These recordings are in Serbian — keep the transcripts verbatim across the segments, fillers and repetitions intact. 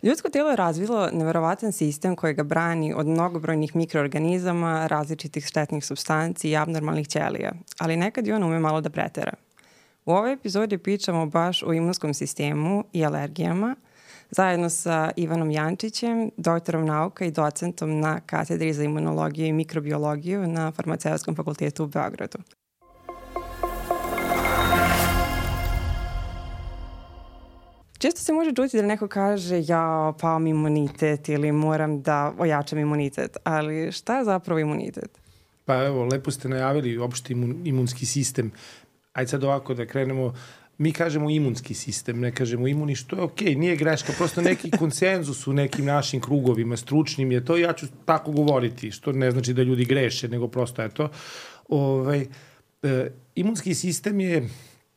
Ljudsko telo je razvilo neverovatan sistem koji ga brani od mnogobrojnih mikroorganizama, različitih štetnih supstanci i abnormalnih ćelija, ali nekad i on ume malo da pretera. U ovoj epizodi pričamo baš o imunskom sistemu i alergijama, zajedno sa Ivanom Jančićem, doktorom nauka i docentom na katedri za imunologiju i mikrobiologiju na Farmaceutskom fakultetu u Beogradu. Često se može čuti da neko kaže ja pao mi imunitet ili moram da ojačam imunitet, ali šta je zapravo imunitet? Pa evo, lepo ste najavili opšte imun, imunski sistem. Ajde sad ovako da krenemo, mi kažemo imunski sistem, ne kažemo imuni, što je okej, okay, nije greška, prosto neki konsenzus u nekim našim krugovima, stručnim je to, ja ću tako govoriti, što ne znači da ljudi greše, nego prosto je to. Ovaj, e, imunski sistem je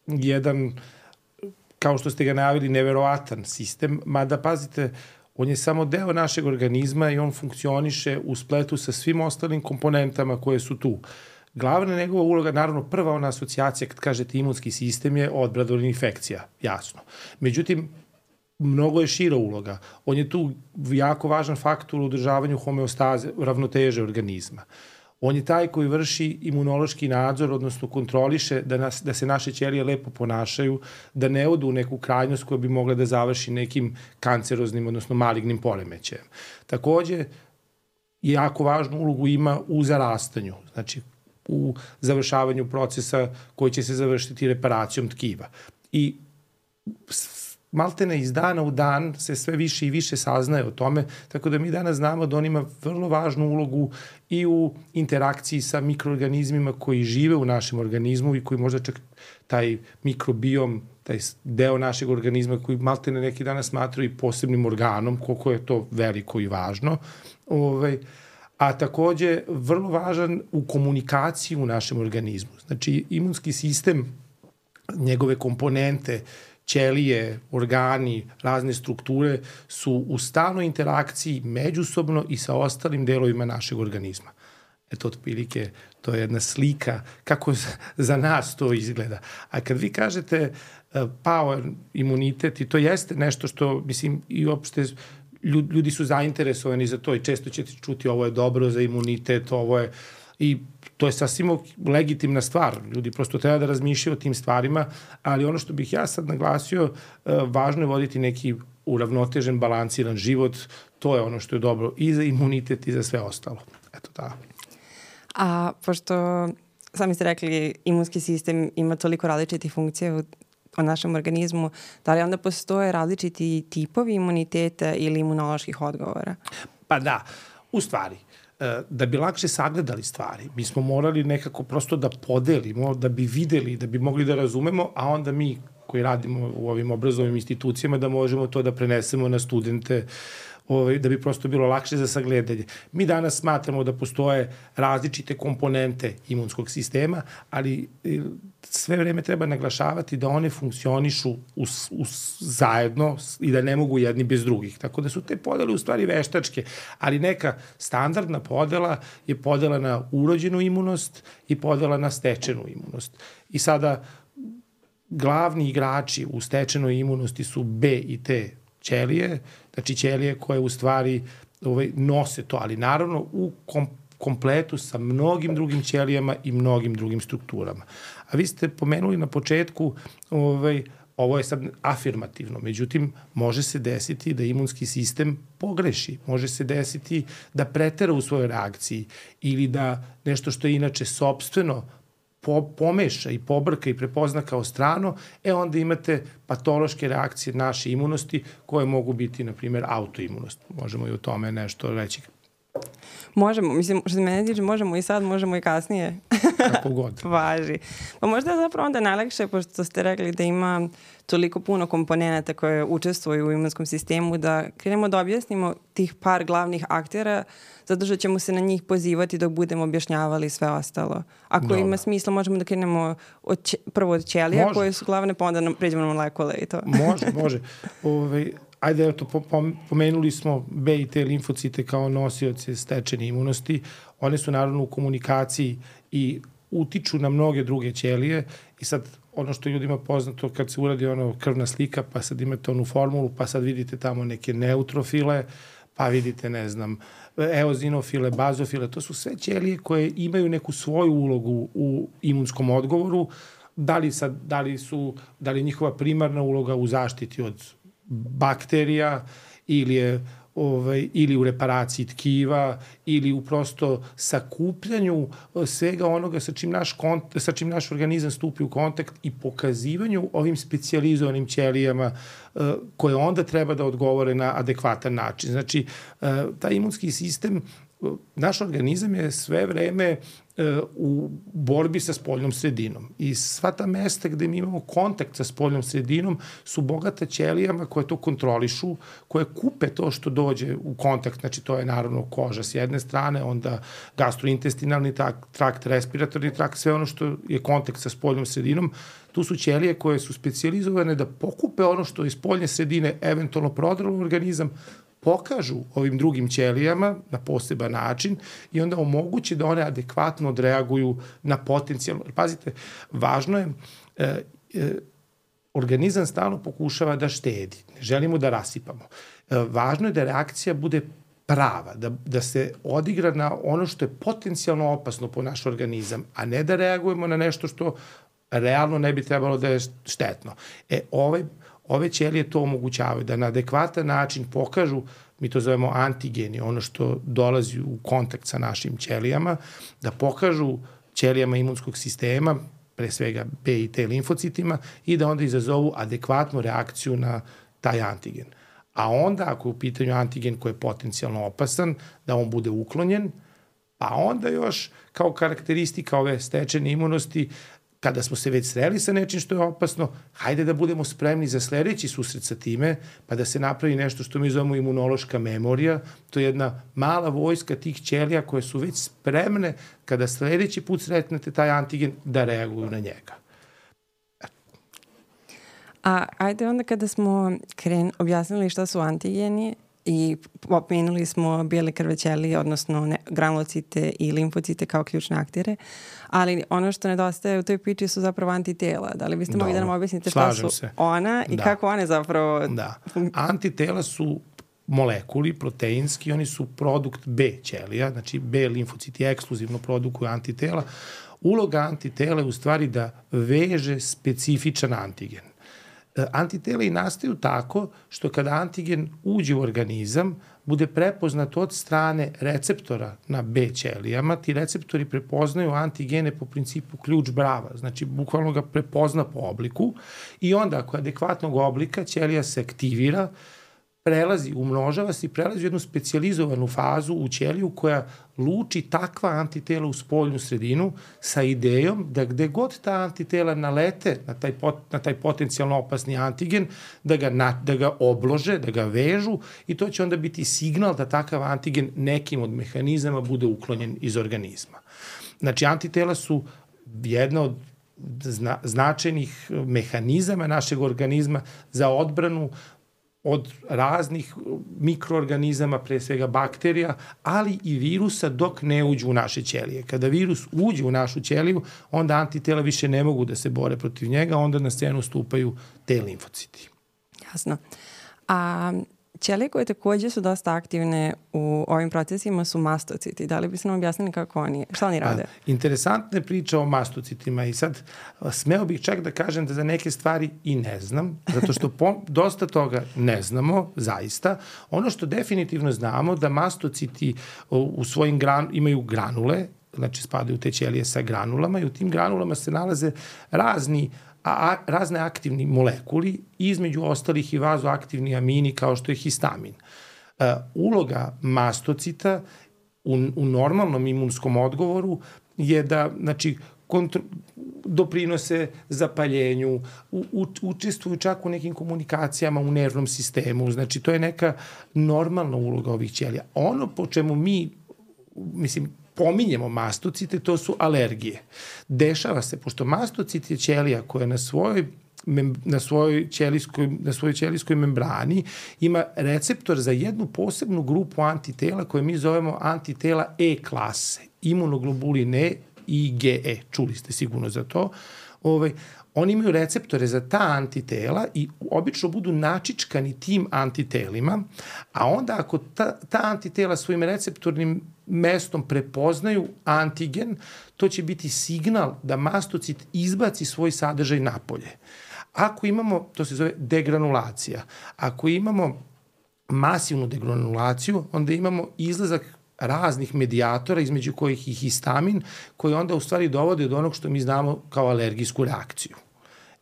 jedan, kao što ste ga najavili, neverovatan sistem, mada pazite, on je samo deo našeg organizma i on funkcioniše u spletu sa svim ostalim komponentama koje su tu. Glavna njegova uloga, naravno prva ona asocijacija kad kažete imunski sistem je odbrana od infekcija, jasno. Međutim, mnogo je šira uloga. On je tu jako važan faktor u održavanju homeostaze, ravnoteže organizma. On je taj koji vrši imunološki nadzor, odnosno kontroliše da, nas, da se naše ćelije lepo ponašaju, da ne odu u neku krajnost koja bi mogla da završi nekim kanceroznim, odnosno malignim poremećajem. Takođe, jako važnu ulogu ima u zarastanju, znači u završavanju procesa koji će se završiti reparacijom tkiva. I maltene iz dana u dan se sve više i više saznaje o tome, tako da mi danas znamo da on ima vrlo važnu ulogu i u interakciji sa mikroorganizmima koji žive u našem organizmu i koji možda čak taj mikrobiom, taj deo našeg organizma koji maltene neki danas smatraju i posebnim organom, koliko je to veliko i važno, ovaj, a takođe vrlo važan u komunikaciji u našem organizmu. Znači, imunski sistem, njegove komponente, ćelije, organi, razne strukture su u stalnoj interakciji međusobno i sa ostalim delovima našeg organizma. Eto, otprilike, to je jedna slika kako za nas to izgleda. A kad vi kažete pao imunitet, i to jeste nešto što, mislim, i uopšte ljudi su zainteresovani za to i često ćete čuti ovo je dobro za imunitet, ovo je, i to je sasvim legitimna stvar. Ljudi prosto treba da razmišljaju o tim stvarima, ali ono što bih ja sad naglasio, važno je voditi neki uravnotežen, balansiran život, to je ono što je dobro i za imunitet i za sve ostalo. Eto da. A pošto sami ste rekli imunski sistem ima toliko različitih funkcija u o našem organizmu, da li onda postoje različiti tipovi imuniteta ili imunoloških odgovora? Pa da, u stvari, da bi lakše sagledali stvari, mi smo morali nekako prosto da podelimo, da bi videli, da bi mogli da razumemo, a onda mi koji radimo u ovim obrazovnim institucijama da možemo to da prenesemo na studente, da bi prosto bilo lakše za sagledanje. Mi danas smatramo da postoje različite komponente imunskog sistema, ali sve vreme treba naglašavati da one funkcionišu us, us, zajedno i da ne mogu jedni bez drugih. Tako da su te podele u stvari veštačke, ali neka standardna podela je podela na urođenu imunost i podela na stečenu imunost. I sada glavni igrači u stečenoj imunosti su B i T ćelije, znači ćelije koje u stvari ovaj, nose to, ali naravno u kom, kompletu sa mnogim drugim ćelijama i mnogim drugim strukturama. A vi ste pomenuli na početku, ovaj, ovo je sad afirmativno, međutim, može se desiti da imunski sistem pogreši, može se desiti da pretera u svojoj reakciji ili da nešto što je inače sopstveno po, pomeša i pobrka i prepozna kao strano, e onda imate patološke reakcije naše imunosti koje mogu biti, na primjer, autoimunost. Možemo i o tome nešto reći. Možemo, mislim, što se mene tiče, možemo i sad, možemo i kasnije. Kako god. Važi. Pa možda je zapravo onda najlakše, pošto ste rekli da ima toliko puno komponenta koje učestvuju u imunskom sistemu, da krenemo da objasnimo tih par glavnih aktera, zato što ćemo se na njih pozivati dok budemo objašnjavali sve ostalo. Ako Dobre. Ima smisla, možemo da krenemo od će, prvo od ćelija može. Koje su glavne, pa onda pređemo na molekule i to. Može, može. Ove, ajde, eto, po, po, pomenuli smo B i T limfocite kao nosioce stečene imunosti. One su naravno u komunikaciji i utiču na mnoge druge ćelije i sad ono što ljudima poznato kad se uradi ono krvna slika, pa sad imate onu formulu, pa sad vidite tamo neke neutrofile, pa vidite, ne znam, eozinofile, bazofile, to su sve ćelije koje imaju neku svoju ulogu u imunskom odgovoru, da li, sad, da li, su, da li je njihova primarna uloga u zaštiti od bakterija ili je ovaj, ili u reparaciji tkiva, ili u prosto sakupljanju svega onoga sa čim naš, kont, sa čim naš organizam stupi u kontakt i pokazivanju ovim specijalizovanim ćelijama uh, koje onda treba da odgovore na adekvatan način. Znači, uh, taj imunski sistem, uh, naš organizam je sve vreme u borbi sa spoljnom sredinom. I sva ta mesta gde mi imamo kontakt sa spoljnom sredinom su bogata ćelijama koje to kontrolišu, koje kupe to što dođe u kontakt, znači to je naravno koža s jedne strane, onda gastrointestinalni trakt, respiratorni trakt, sve ono što je kontakt sa spoljnom sredinom. Tu su ćelije koje su specijalizovane da pokupe ono što iz spoljne sredine eventualno prodrlo organizam, pokažu ovim drugim ćelijama na poseban način i onda omogući da one adekvatno odreaguju na potencijalno. Pazite, važno je, e, e, organizam stalno pokušava da štedi, ne želimo da rasipamo. E, važno je da reakcija bude prava, da, da se odigra na ono što je potencijalno opasno po naš organizam, a ne da reagujemo na nešto što realno ne bi trebalo da je štetno. E, ovaj Ove ćelije to omogućavaju, da na adekvatan način pokažu, mi to zovemo antigeni, ono što dolazi u kontakt sa našim ćelijama, da pokažu ćelijama imunskog sistema, pre svega B i T limfocitima, i da onda izazovu adekvatnu reakciju na taj antigen. A onda, ako je u pitanju antigen koji je potencijalno opasan, da on bude uklonjen, pa onda još kao karakteristika ove stečene imunosti, kada smo se već sreli sa nečim što je opasno, hajde da budemo spremni za sledeći susret sa time, pa da se napravi nešto što mi zovemo imunološka memorija. To je jedna mala vojska tih ćelija koje su već spremne kada sledeći put sretnete taj antigen da reaguju na njega. A ajde onda kada smo kren, objasnili šta su antigeni i pomenuli smo bijele krve ćelije, odnosno ne, granulocite i limfocite kao ključne aktere, ali ono što nedostaje u toj priči su zapravo antitela. Da li biste mogli da nam objasnite šta su se. ona i da. kako one zapravo... Da. Antitela su molekuli proteinski, oni su produkt B ćelija, znači B limfociti ekskluzivno produkuju antitela. Uloga antitela je u stvari da veže specifičan antigen. Antitela i nastaju tako što kada antigen uđe u organizam, bude prepoznat od strane receptora na B ćelijama. Ti receptori prepoznaju antigene po principu ključ brava, znači bukvalno ga prepozna po obliku i onda ako je adekvatnog oblika, ćelija se aktivira, prelazi, umnožava se i prelazi u jednu specijalizovanu fazu u ćeliju koja luči takva antitela u spoljnu sredinu sa idejom da gde god ta antitela nalete na taj, pot, na taj potencijalno opasni antigen, da ga, na, da ga oblože, da ga vežu i to će onda biti signal da takav antigen nekim od mehanizama bude uklonjen iz organizma. Znači, antitela su jedna od zna, značajnih mehanizama našeg organizma za odbranu od raznih mikroorganizama, pre svega bakterija, ali i virusa dok ne uđu u naše ćelije. Kada virus uđe u našu ćeliju, onda antitela više ne mogu da se bore protiv njega, onda na scenu stupaju te limfociti. Jasno. A ćelije koje takođe su dosta aktivne u ovim procesima su mastociti. Da li biste nam objasnili kako oni, šta oni rade? A, interesantna je priča o mastocitima i sad smeo bih čak da kažem da za neke stvari i ne znam, zato što po, dosta toga ne znamo, zaista. Ono što definitivno znamo da mastociti u, u svojim gran, imaju granule, znači spadaju te ćelije sa granulama i u tim granulama se nalaze razni a razne aktivni molekuli, između ostalih i vazoaktivni amini kao što je histamin. Uh, uloga mastocita u, u normalnom imunskom odgovoru je da, znači, kontro, doprinose zapaljenju, u, u, učestvuju čak u nekim komunikacijama u nervnom sistemu, znači to je neka normalna uloga ovih ćelija. Ono po čemu mi, mislim, pominjemo mastocite, to su alergije. Dešava se, pošto mastocit je ćelija koja na svojoj na svojoj ćelijskoj, na svojoj ćelijskoj membrani ima receptor za jednu posebnu grupu antitela koje mi zovemo antitela E klase, imunoglobulin E I G E, čuli ste sigurno za to. Ovaj, oni imaju receptore za ta antitela i obično budu načičkani tim antitelima, a onda ako ta, ta antitela svojim receptornim mestom prepoznaju antigen, to će biti signal da mastocit izbaci svoj sadržaj napolje. Ako imamo, to se zove degranulacija, ako imamo masivnu degranulaciju, onda imamo izlazak raznih medijatora, između kojih i histamin, koji onda u stvari dovode do onog što mi znamo kao alergijsku reakciju.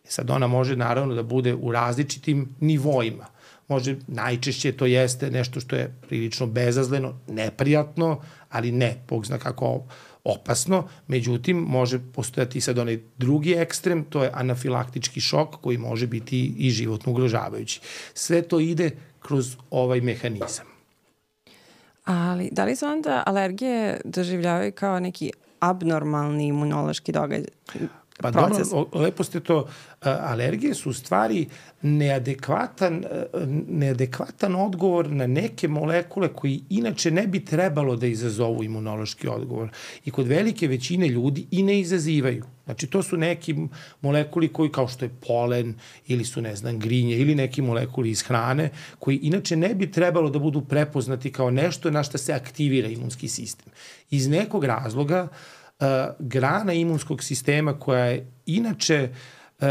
Sad ona može naravno da bude u različitim nivoima. Može, najčešće to jeste nešto što je prilično bezazleno, neprijatno, ali ne, Bog zna kako opasno. Međutim, može postojati sad onaj drugi ekstrem, to je anafilaktički šok koji može biti i životno ugrožavajući. Sve to ide kroz ovaj mehanizam. Ali da li se onda alergije doživljavaju kao neki abnormalni imunološki događaj? Pa dobro, lepo ste to, alergije su u stvari neadekvatan, neadekvatan odgovor na neke molekule koji inače ne bi trebalo da izazovu imunološki odgovor. I kod velike većine ljudi i ne izazivaju. Znači, to su neki molekuli koji, kao što je polen, ili su, ne znam, grinje, ili neki molekuli iz hrane, koji inače ne bi trebalo da budu prepoznati kao nešto na što se aktivira imunski sistem. Iz nekog razloga, Uh, grana imunskog sistema koja je inače uh,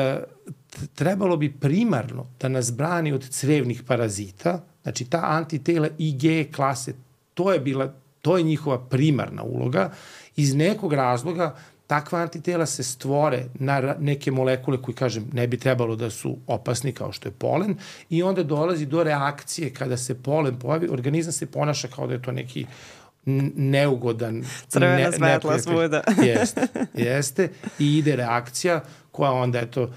trebalo bi primarno da nas brani od crevnih parazita, znači ta antitela I G E klase, to je bila, to je njihova primarna uloga, iz nekog razloga takva antitela se stvore na neke molekule koji, kažem, ne bi trebalo da su opasni kao što je polen i onda dolazi do reakcije kada se polen pojavi, organizam se ponaša kao da je to neki neugodan crvena svetla svuda. Jeste, jeste i ide reakcija koja onda eto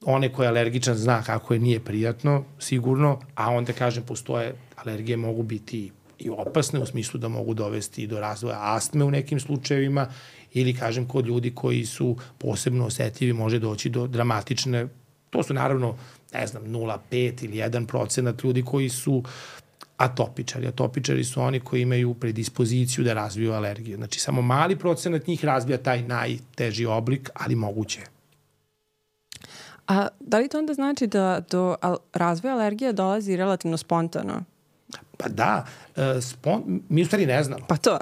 one ko je alergičan zna kako je nije prijatno sigurno, a onda kažem postoje alergije mogu biti i opasne u smislu da mogu dovesti do razvoja astme u nekim slučajevima ili kažem kod ljudi koji su posebno osetljivi može doći do dramatične, to su naravno ne znam nula zarez pet ili jedan procenat ljudi koji su atopičari. Atopičari su oni koji imaju predispoziciju da razviju alergiju. Znači, samo mali procenat njih razvija taj najteži oblik, ali moguće. A da li to onda znači da do razvoja alergije dolazi relativno spontano? Pa da, spon, mi u stvari ne znamo. Pa to.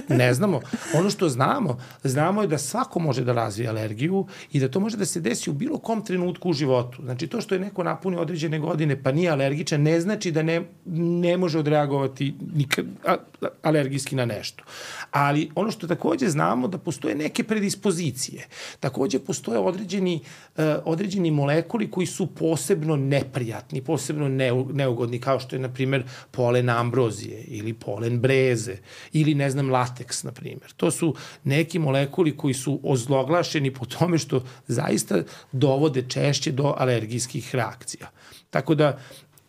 Ne znamo. Ono što znamo, znamo je da svako može da razvije alergiju i da to može da se desi u bilo kom trenutku u životu. Znači to što je neko napunio određene godine pa nije alergičan, ne znači da ne, ne može odreagovati nikad, a, alergijski na nešto. Ali ono što takođe znamo da postoje neke predispozicije. Takođe postoje određeni, uh, određeni molekuli koji su posebno neprijatni, posebno neugodni, kao što je, na primer, polen ambrozije ili polen breze ili, ne znam, lateks, na primjer. To su neki molekuli koji su ozloglašeni po tome što zaista dovode češće do alergijskih reakcija. Tako da,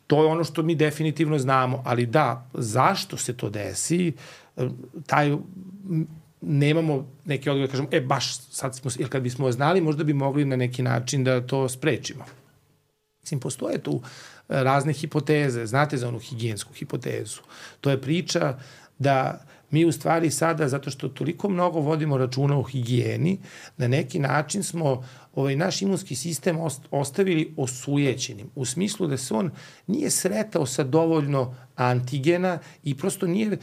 to je ono što mi definitivno znamo, ali da, zašto se to desi, taj, nemamo neke odgovore, kažemo, e, baš sad smo, jer kad bismo znali, možda bi mogli na neki način da to sprečimo. Mislim, postoje tu razne hipoteze, znate za onu higijensku hipotezu. To je priča da mi u stvari sada, zato što toliko mnogo vodimo računa o higijeni, na neki način smo ovaj naš imunski sistem ostavili osujećenim, u smislu da se on nije sretao sa dovoljno antigena i prosto nije,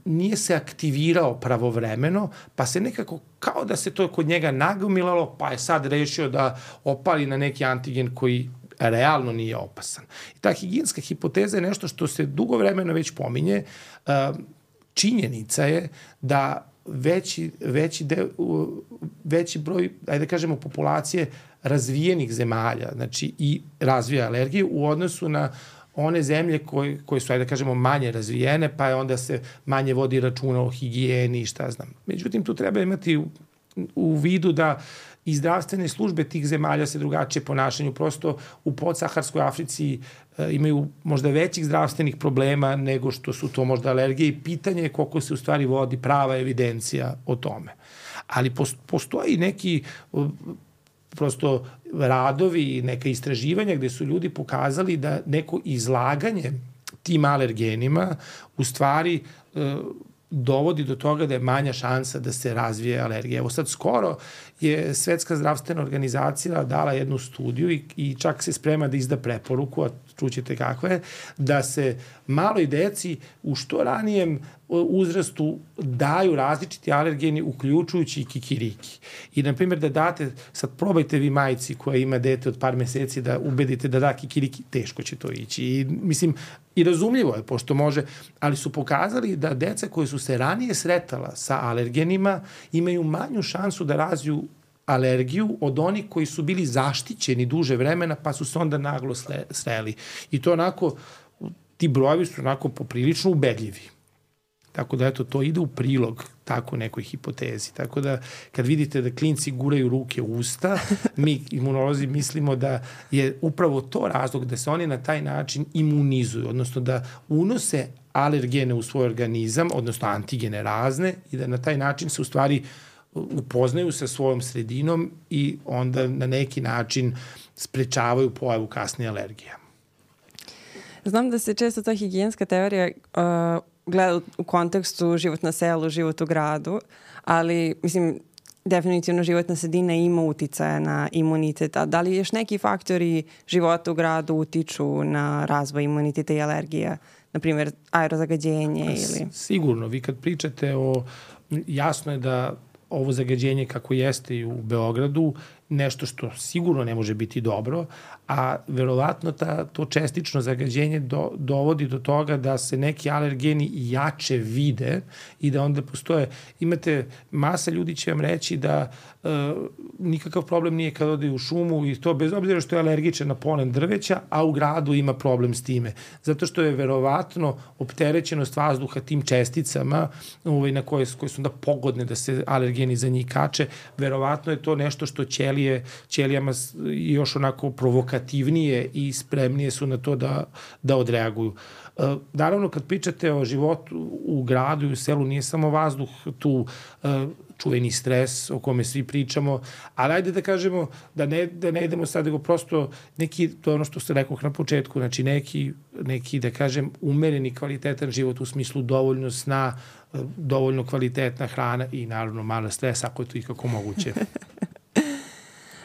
nije se aktivirao pravovremeno, pa se nekako, kao da se to kod njega nagomilalo, pa je sad rešio da opali na neki antigen koji realno nije opasan. I ta higijenska hipoteza je nešto što se dugo vremena već pominje. Činjenica je da veći, veći, de, veći broj, ajde da kažemo, populacije razvijenih zemalja, znači i razvija alergiju u odnosu na one zemlje koje, koje su, ajde da kažemo, manje razvijene, pa je onda se manje vodi računa o higijeni i šta znam. Međutim, tu treba imati u, u vidu da i zdravstvene službe tih zemalja se drugačije ponašanju. Prosto u podsaharskoj Africi e, imaju možda većih zdravstvenih problema nego što su to možda alergije i pitanje je koliko se u stvari vodi prava evidencija o tome. Ali postoji neki prosto radovi i neka istraživanja gde su ljudi pokazali da neko izlaganje tim alergenima u stvari e, dovodi do toga da je manja šansa da se razvije alergija. Evo sad skoro je Svetska zdravstvena organizacija dala jednu studiju i, i čak se sprema da izda preporuku, a čućete kakva je, da se maloj deci u što ranijem uzrastu daju različiti alergeni, uključujući i kikiriki. I, na primjer, da date, sad probajte vi majci koja ima dete od par meseci da ubedite da da kikiriki, teško će to ići. I, mislim, i razumljivo je, pošto može, ali su pokazali da deca koje su se ranije sretala sa alergenima imaju manju šansu da razviju alergiju od onih koji su bili zaštićeni duže vremena, pa su se onda naglo sreli. I to onako, ti brojevi su onako poprilično ubedljivi. Tako da, eto, to ide u prilog tako nekoj hipotezi. Tako da, kad vidite da klinci guraju ruke u usta, mi imunolozi mislimo da je upravo to razlog da se oni na taj način imunizuju, odnosno da unose alergene u svoj organizam, odnosno antigene razne, i da na taj način se u stvari upoznaju sa svojom sredinom i onda na neki način sprečavaju pojavu kasnije alergija. Znam da se često ta higijenska teorija uh, gleda u kontekstu život na selu, život u gradu, ali mislim, definitivno životna sredina ima uticaja na imunitet. A da li još neki faktori života u gradu utiču na razvoj imuniteta i alergija? Na primjer, aerozagađenje ili... Sigurno. Vi kad pričate o... Jasno je da ovo zagađenje kako jeste i u Beogradu, nešto što sigurno ne može biti dobro, a verovatno ta, to čestično zagađenje do, dovodi do toga da se neki alergeni jače vide i da onda postoje, imate, masa ljudi će vam reći da e, nikakav problem nije kad ode u šumu i to bez obzira što je alergičan na polen drveća, a u gradu ima problem s time. Zato što je verovatno opterećenost vazduha tim česticama ovaj, na koje, koje su onda pogodne da se alergeni za njih kače, verovatno je to nešto što ćelije, ćelijama još onako provokativnije i spremnije su na to da, da odreaguju. E, naravno, kad pričate o životu u gradu i u selu, nije samo vazduh tu e, čuveni stres o kome svi pričamo, ali ajde da kažemo da ne, da ne idemo sad, nego prosto neki, to je ono što ste rekao na početku, znači neki, neki, da kažem, umereni kvalitetan život u smislu dovoljno sna, dovoljno kvalitetna hrana i naravno malo stresa ako je to ikako moguće.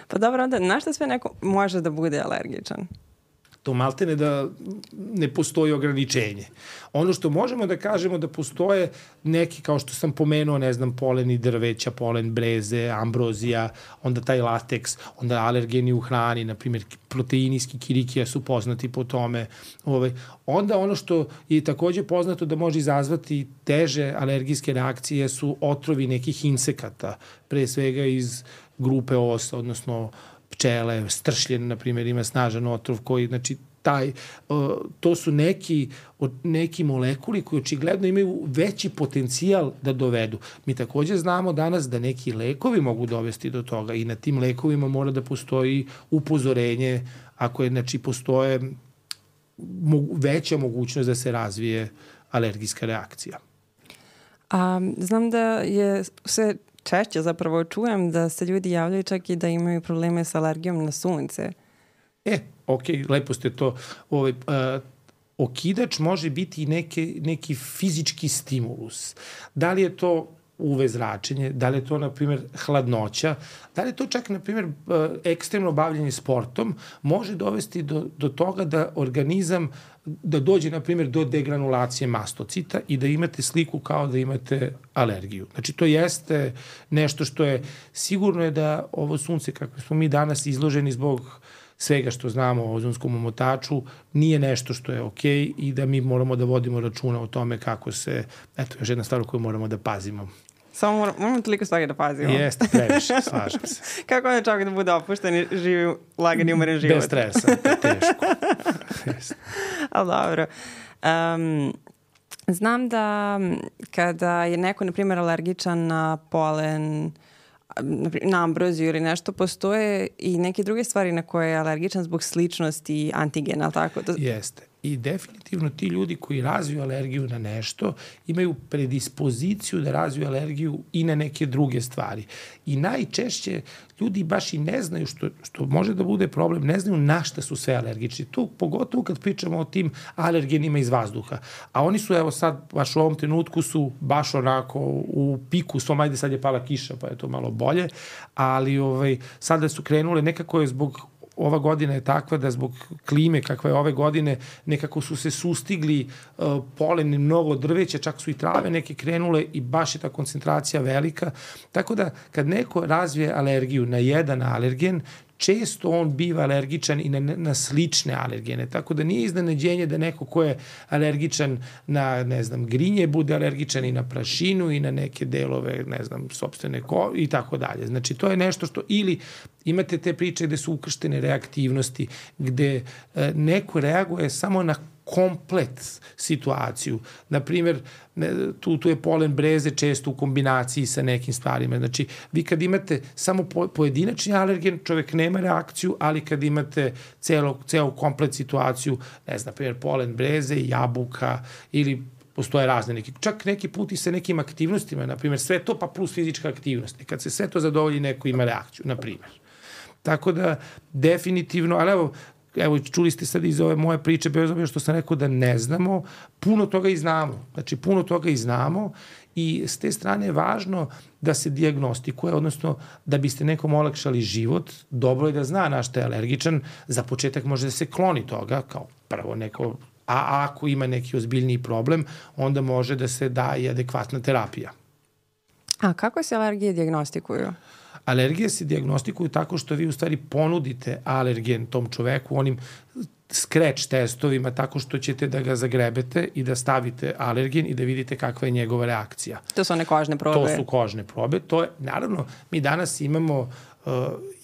Pa dobro, onda na šta sve neko može da bude alergičan? To maltene da ne postoji ograničenje. Ono što možemo da kažemo da postoje neki, kao što sam pomenuo, ne znam, poleni drveća, polen breze, ambrozija, onda taj lateks, onda alergeni u hrani, na primjer proteini iz kikirikija su poznati po tome. Ovaj. Onda ono što je takođe poznato da može izazvati teže alergijske reakcije su otrovi nekih insekata, pre svega iz grupe osa, odnosno pčele, stršljen, na primjer, ima snažan otrov koji, znači, taj, uh, to su neki, neki molekuli koji očigledno imaju veći potencijal da dovedu. Mi takođe znamo danas da neki lekovi mogu dovesti do toga i na tim lekovima mora da postoji upozorenje ako je, znači, postoje mogu, veća mogućnost da se razvije alergijska reakcija. A, znam da je sve češće zapravo čujem da se ljudi javljaju čak i da imaju probleme sa alergijom na sunce. E, okej, okay, lepo ste to. Ovaj, uh, okidač može biti neke, neki fizički stimulus. Da li je to U V zračenje, da li je to, na primjer, hladnoća, da li je to čak, na primjer, ekstremno bavljenje sportom, može dovesti do, do toga da organizam, da dođe, na primjer, do degranulacije mastocita i da imate sliku kao da imate alergiju. Znači, to jeste nešto što je, sigurno je da ovo sunce, kako smo mi danas izloženi zbog svega što znamo o ozonskom omotaču, nije nešto što je okej okay i da mi moramo da vodimo računa o tome kako se, eto, još jedna stvar koju moramo da pazimo. Samo moramo, moramo toliko stvari da pazimo. Jeste, previše, slažem se. Kako je čovjek da bude opušten i živi lagani umeren život? Bez stresa, teško. Ali dobro. Um, znam da kada je neko, na primjer, alergičan na polen, na ambroziju ili nešto, postoje i neke druge stvari na koje je alergičan zbog sličnosti antigena, tako? Jeste. I definitivno ti ljudi koji razviju alergiju na nešto imaju predispoziciju da razviju alergiju i na neke druge stvari. I najčešće ljudi baš i ne znaju, što, što može da bude problem, ne znaju na šta su sve alergični. Tu, pogotovo kad pričamo o tim alergenima iz vazduha. A oni su, evo sad, baš u ovom trenutku su baš onako u piku svom, ajde sad je pala kiša, pa je to malo bolje, ali ovaj, sada su krenule, nekako je zbog ova godina je takva da zbog klime kakva je ove godine nekako su se sustigli uh, poleni mnogo drveća, čak su i trave neke krenule i baš je ta koncentracija velika. Tako da kad neko razvije alergiju na jedan alergen, često on biva alergičan i na, na slične alergene, tako da nije iznenađenje da neko ko je alergičan na, ne znam, grinje, bude alergičan i na prašinu i na neke delove, ne znam, sopstvene ko i tako dalje. Znači, to je nešto što, ili imate te priče gde su ukrštene reaktivnosti, gde e, neko reaguje samo na komplet situaciju. Naprimjer, tu, tu je polen breze često u kombinaciji sa nekim stvarima. Znači, vi kad imate samo po, pojedinačni alergen, čovek nema reakciju, ali kad imate celo, celo komplet situaciju, ne znam, naprimjer, polen breze, jabuka ili postoje razne neki, čak neki put i sa nekim aktivnostima, naprimjer, sve to pa plus fizička aktivnost. Kad se sve to zadovolji, neko ima reakciju, naprimjer. Tako da, definitivno, ali evo, evo, čuli ste sad iz ove moje priče, bez obzira što sam rekao da ne znamo, puno toga i znamo. Znači, puno toga i znamo i s te strane je važno da se dijagnostikuje, odnosno da biste nekom olakšali život, dobro je da zna na šta je alergičan, za početak može da se kloni toga, kao prvo neko, a ako ima neki ozbiljniji problem, onda može da se da i adekvatna terapija. A kako se alergije dijagnostikuju? Alergije se dijagnostikuju tako što vi u stvari ponudite alergen tom čoveku onim scratch testovima, tako što ćete da ga zagrebete i da stavite alergen i da vidite kakva je njegova reakcija. To su one kožne probe. To su kožne probe. To je, naravno, mi danas imamo uh,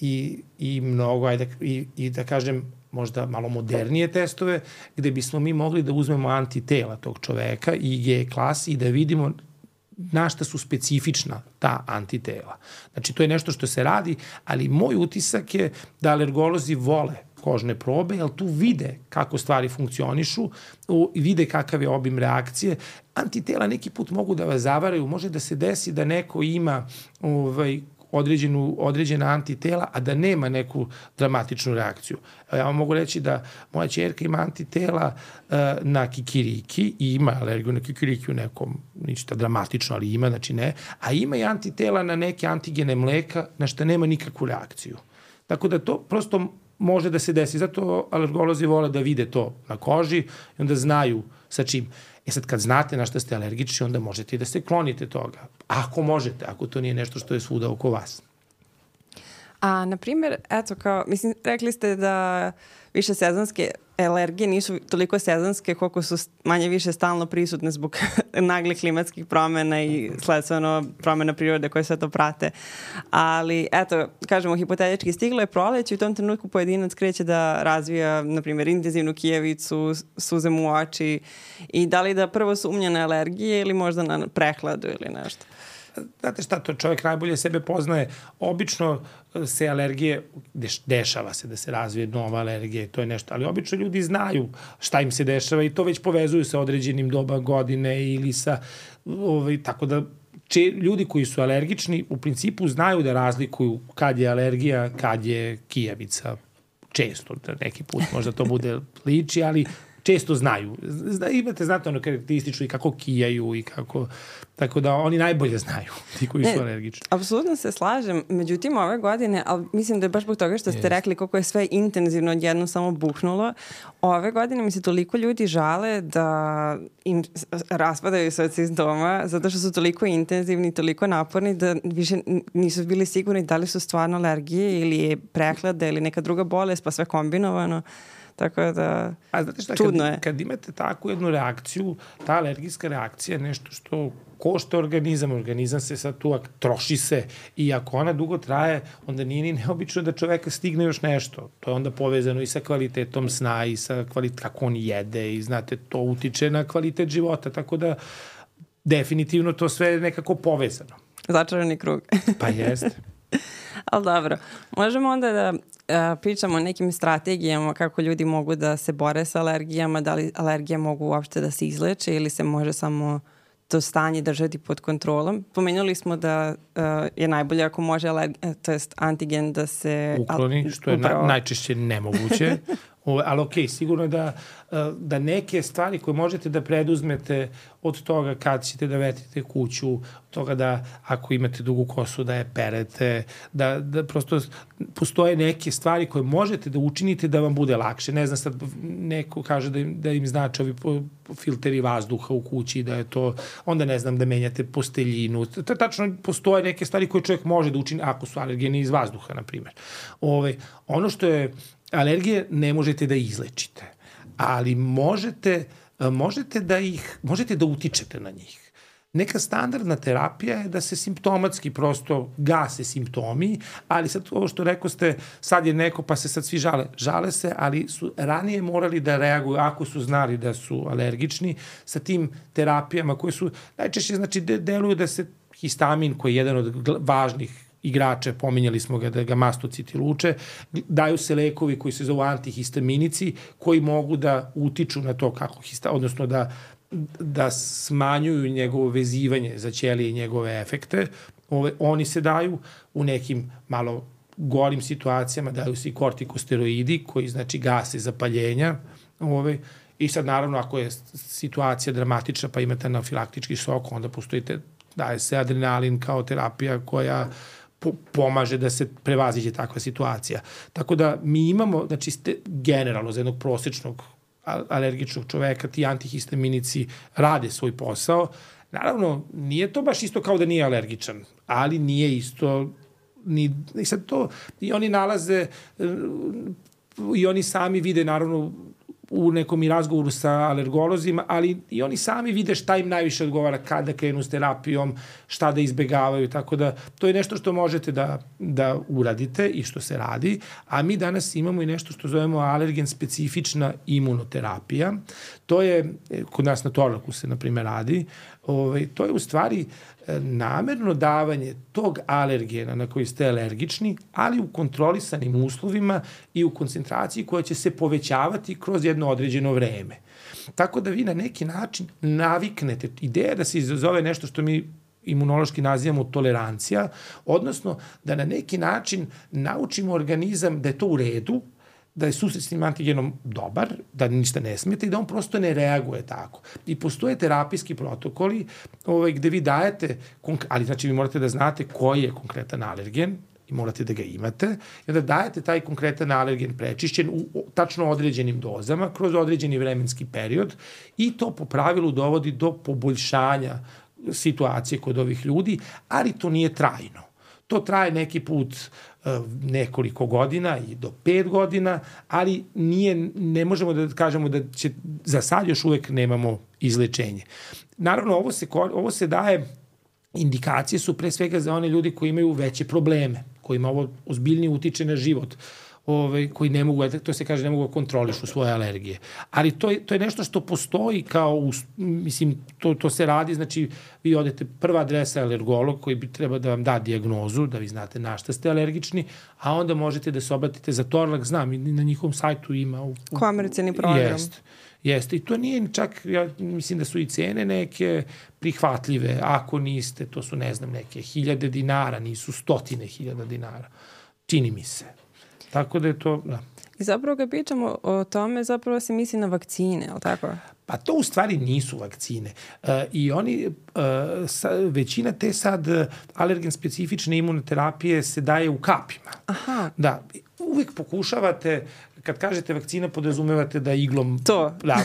i, i mnogo, ajde, i, i da kažem, možda malo modernije testove, gde bismo mi mogli da uzmemo antitela tog čoveka i I G klasi i da vidimo na šta su specifična ta antitela. Znači, to je nešto što se radi, ali moj utisak je da alergolozi vole kožne probe, jer tu vide kako stvari funkcionišu, vide kakav je obim reakcije. Antitela neki put mogu da vas zavaraju, može da se desi da neko ima ovaj, određenu, određena antitela, a da nema neku dramatičnu reakciju. Ja vam mogu reći da moja ćerka ima antitela uh, na kikiriki i ima alergiju na kikiriki u nekom, ništa dramatično, ali ima, znači ne, a ima i antitela na neke antigene mleka na što nema nikakvu reakciju. Tako da to prosto može da se desi. Zato alergolozi vole da vide to na koži i onda znaju sa čim. E sad, kad znate na šta ste alergični, onda možete i da se klonite toga. Ako možete, ako to nije nešto što je svuda oko vas. A, na primjer, eto, kao, mislim, rekli ste da više sezonske alergije nisu toliko sezonske koliko su manje više stalno prisutne zbog naglih klimatskih promena i sledstveno promena prirode koje sve to prate. Ali, eto, kažemo, hipotetički stiglo je proleće i u tom trenutku pojedinac kreće da razvija, na primjer, intenzivnu kijevicu, suze mu u oči i da li da prvo sumnja na alergije ili možda na prehladu ili nešto. Znate šta, to čovjek najbolje sebe poznaje. Obično se alergije, deš, dešava se da se razvije nova alergija, to je nešto, ali obično ljudi znaju šta im se dešava i to već povezuju sa određenim doba godine ili sa, ovaj, tako da če, ljudi koji su alergični u principu znaju da razlikuju kad je alergija, kad je kijavica. Često, neki put možda to bude liči, ali često znaju. Zna, imate, znate, ono karakteristično i kako kijaju i kako, tako da oni najbolje znaju, ti koji su alergični. Apsolutno se slažem. Međutim, ove godine, ali mislim da je baš zbog toga što ste yes. rekli koliko je sve intenzivno odjedno samo buknulo, ove godine mi se toliko ljudi žale da im raspadaju se od simptoma zato što su toliko intenzivni, toliko naporni da više nisu bili sigurni da li su stvarno alergije ili je prehlada ili neka druga bolest, pa sve kombinovano. Tako da, a znate šta, čudno kad, je. Kad imate takvu jednu reakciju, ta alergijska reakcija je nešto što košta organizam, organizam se sad tu troši se i ako ona dugo traje, onda nije ni neobično da čoveka stigne još nešto. To je onda povezano i sa kvalitetom sna i sa kvalitet, kako on jede i znate, to utiče na kvalitet života, tako da definitivno to sve je nekako povezano. Začarani krug. Pa jeste. Ali dobro, možemo onda da pričamo o nekim strategijama kako ljudi mogu da se bore sa alergijama, da li alergije mogu uopšte da se izleče ili se može samo to stanje držati pod kontrolom. Pomenuli smo da uh, je najbolje ako može alergija, to jest antigen da se ukloni, što je na, najčešće nemoguće. O, ali okej, okay, sigurno je da, da neke stvari koje možete da preduzmete od toga kad ćete da vetrite kuću, od toga da ako imate dugu kosu da je perete, da, da prosto postoje neke stvari koje možete da učinite da vam bude lakše. Ne znam, sad neko kaže da im, da im znači ovi filteri vazduha u kući, da je to, onda ne znam, da menjate posteljinu. Tačno postoje neke stvari koje čovjek može da učini ako su alergeni iz vazduha, na primjer. Ove, ono što je alergije ne možete da izlečite, ali možete, možete da ih, možete da utičete na njih. Neka standardna terapija je da se simptomatski prosto gase simptomi, ali sad ovo što rekao ste, sad je neko pa se sad svi žale. Žale se, ali su ranije morali da reaguju ako su znali da su alergični sa tim terapijama koje su najčešće, znači, deluju da se histamin, koji je jedan od važnih igrače, pominjali smo ga da ga mastociti luče, daju se lekovi koji se zovu antihistaminici, koji mogu da utiču na to kako hista, odnosno da, da smanjuju njegovo vezivanje za ćelije i njegove efekte. Ove, oni se daju u nekim malo gorim situacijama, daju se i kortikosteroidi koji znači gase zapaljenja. Ove, I sad naravno ako je situacija dramatična pa imate anafilaktički šok, onda postojite, daje se adrenalin kao terapija koja pomaže da se prevaziđe takva situacija. Tako da mi imamo, znači, ste, generalno za jednog prosečnog alergičnog čoveka ti antihistaminici rade svoj posao. Naravno, nije to baš isto kao da nije alergičan, ali nije isto ni, i sad to, i oni nalaze i oni sami vide, naravno, u nekom i razgovoru sa alergolozima, ali i oni sami vide šta im najviše odgovara, kada krenu s terapijom, šta da izbegavaju, tako da to je nešto što možete da, da uradite i što se radi, a mi danas imamo i nešto što zovemo alergen specifična imunoterapija. To je, kod nas na Torlaku se, na primjer, radi, ovaj, to je u stvari namerno davanje tog alergena na koji ste alergični, ali u kontrolisanim uslovima i u koncentraciji koja će se povećavati kroz jedno određeno vreme. Tako da vi na neki način naviknete. Ideja da se izazove nešto što mi imunološki nazivamo tolerancija, odnosno da na neki način naučimo organizam da je to u redu, da je susret s tim antigenom dobar, da ništa ne smete i da on prosto ne reaguje tako. I postoje terapijski protokoli ovaj, gde vi dajete, ali znači vi morate da znate koji je konkretan alergen i morate da ga imate, i onda dajete taj konkretan alergen prečišćen u tačno određenim dozama kroz određeni vremenski period i to po pravilu dovodi do poboljšanja situacije kod ovih ljudi, ali to nije trajno. To traje neki put nekoliko godina i do pet godina, ali nije, ne možemo da kažemo da će, za sad još uvek nemamo izlečenje. Naravno, ovo se, ovo se daje, indikacije su pre svega za one ljudi koji imaju veće probleme, kojima ovo ozbiljnije utiče na život, Ove, koji ne mogu, to se kaže, ne mogu kontrolišu svoje alergije. Ali to je, to je nešto što postoji kao, mislim, to, to se radi, znači vi odete, prva adresa je alergolog koji bi treba da vam da dijagnozu, da vi znate na šta ste alergični, a onda možete da se obratite za Torlak, znam, i na njihovom sajtu ima. U, u, komercijalni program. Jeste. Jeste, i to nije čak, ja mislim da su i cene neke prihvatljive, ako niste, to su, ne znam, neke hiljade dinara, nisu stotine hiljada dinara. Čini mi se. Tako da je to, da. I zapravo kad pričamo o tome, zapravo se misli na vakcine, ali tako? Pa to u stvari nisu vakcine. Uh, I oni, uh, sa, većina te sad alergen specifične imunoterapije se daje u kapima. Aha. Da, uvek pokušavate, kad kažete vakcina, podrazumevate da iglom... To. Da,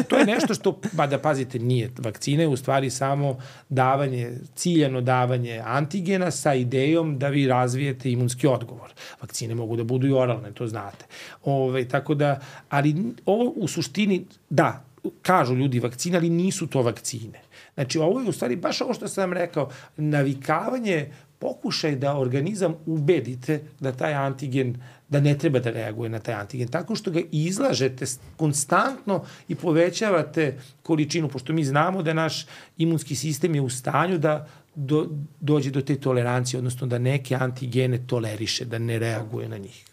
to je nešto što, ba da pazite, nije vakcine, u stvari samo davanje, ciljano davanje antigena sa idejom da vi razvijete imunski odgovor. Vakcine mogu da budu i oralne, to znate. Ove, tako da, ali ovo u suštini, da, kažu ljudi vakcine, ali nisu to vakcine. Znači, ovo je u stvari baš ovo što sam vam rekao, navikavanje, pokušaj da organizam ubedite da taj antigen, da ne treba da reaguje na taj antigen, tako što ga izlažete konstantno i povećavate količinu, pošto mi znamo da naš imunski sistem je u stanju da do, dođe do te tolerancije, odnosno da neke antigene toleriše, da ne reaguje na njih.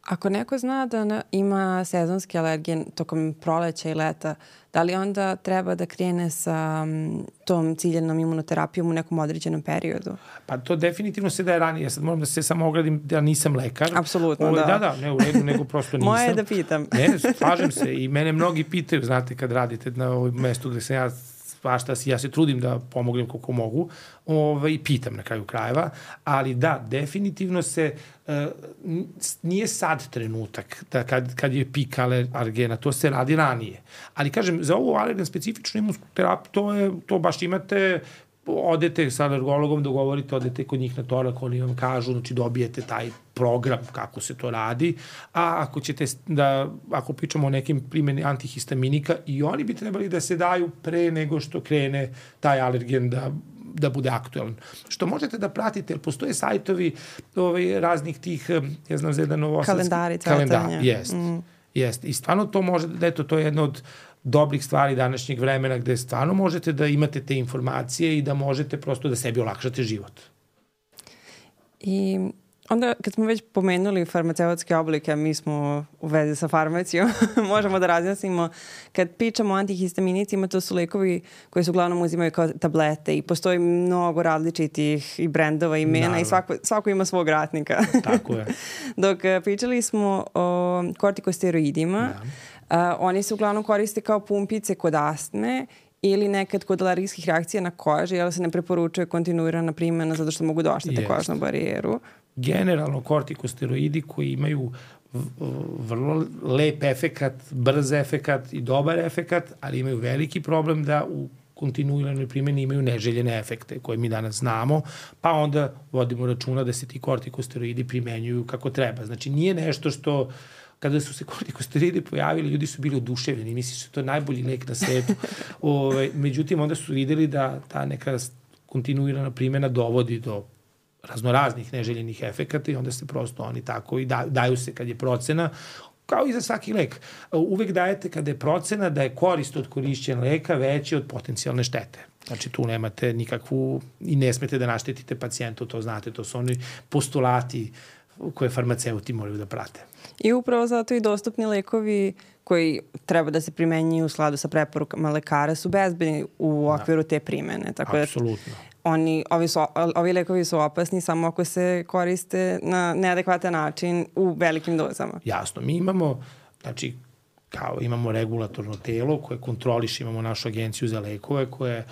Ako neko zna da na, ima sezonski alergen tokom proleća i leta, da li onda treba da krene sa um, tom ciljenom imunoterapijom u nekom određenom periodu? Pa to definitivno se daje ranije. Ja sad moram da se samo ogradim da nisam lekar. Apsolutno, Ovo, da. Da, da, ne u redu, nego prosto nisam. Moje je da pitam. Ne, slažem se i mene mnogi pitaju, znate, kad radite na ovom mestu gde sam ja svašta, ja se trudim da pomognem koliko mogu, ovaj, i pitam na kraju krajeva, ali da, definitivno se, uh, nije sad trenutak da kad, kad je pik alergena, to se radi ranije. Ali kažem, za ovu alergen specifičnu imunsku terapiju, to, je, to baš imate, odete sa alergologom, dogovorite, odete kod njih na torak, oni vam kažu, znači dobijete taj program kako se to radi, a ako ćete da, ako pričamo o nekim primjeni antihistaminika, i oni bi trebali da se daju pre nego što krene taj alergen da da bude aktualan. Što možete da pratite, jer postoje sajtovi ovaj, raznih tih, ja znam za jedan novosadski... Kalendari, cvetanja. Kalendar, jest. Mm. Jest. I stvarno to može, eto, to je jedno od dobrih stvari današnjeg vremena gde stvarno možete da imate te informacije i da možete prosto da sebi olakšate život. I onda kad smo već pomenuli farmaceutske oblike, mi smo u vezi sa farmacijom, možemo da razjasnimo. Kad pričamo o antihistaminicima, to su lekovi koji se uglavnom uzimaju kao tablete i postoji mnogo različitih i brendova, imena. Naravno. I svako, svako ima svog ratnika. Tako je. Dok pričali smo o kortikosteroidima, da. Uh, oni se uglavnom koriste kao pumpice kod astme ili nekad kod alergijskih reakcija na koži, jer se ne preporučuje kontinuirana primjena zato što mogu da oštete kožnu barijeru. Generalno kortikosteroidi koji imaju vrlo lep efekat, brz efekat i dobar efekat, ali imaju veliki problem da u kontinuiranoj primjeni imaju neželjene efekte koje mi danas znamo, pa onda vodimo računa da se ti kortikosteroidi primenjuju kako treba. Znači nije nešto što kada su se kortikosteroidi pojavili, ljudi su bili oduševljeni, misli su to najbolji lek na svetu. Ove, međutim, onda su videli da ta neka kontinuirana primjena dovodi do raznoraznih neželjenih efekata i onda se prosto oni tako i da, daju se kad je procena, kao i za svaki lek. Uvek dajete kada je procena da je korist od korišćenja leka veća od potencijalne štete. Znači tu nemate nikakvu i ne smete da naštetite pacijentu, to znate, to su oni postulati koje farmaceuti moraju da prate. I upravo zato i dostupni lekovi koji treba da se primenjuju u skladu sa preporukama lekara su bezbedni u okviru te primene. Tako apsolutno. Da oni, ovi, su, ovi lekovi su opasni samo ako se koriste na neadekvatan način u velikim dozama. Jasno. Mi imamo, znači, kao imamo regulatorno telo koje kontroliše, imamo našu agenciju za lekove koje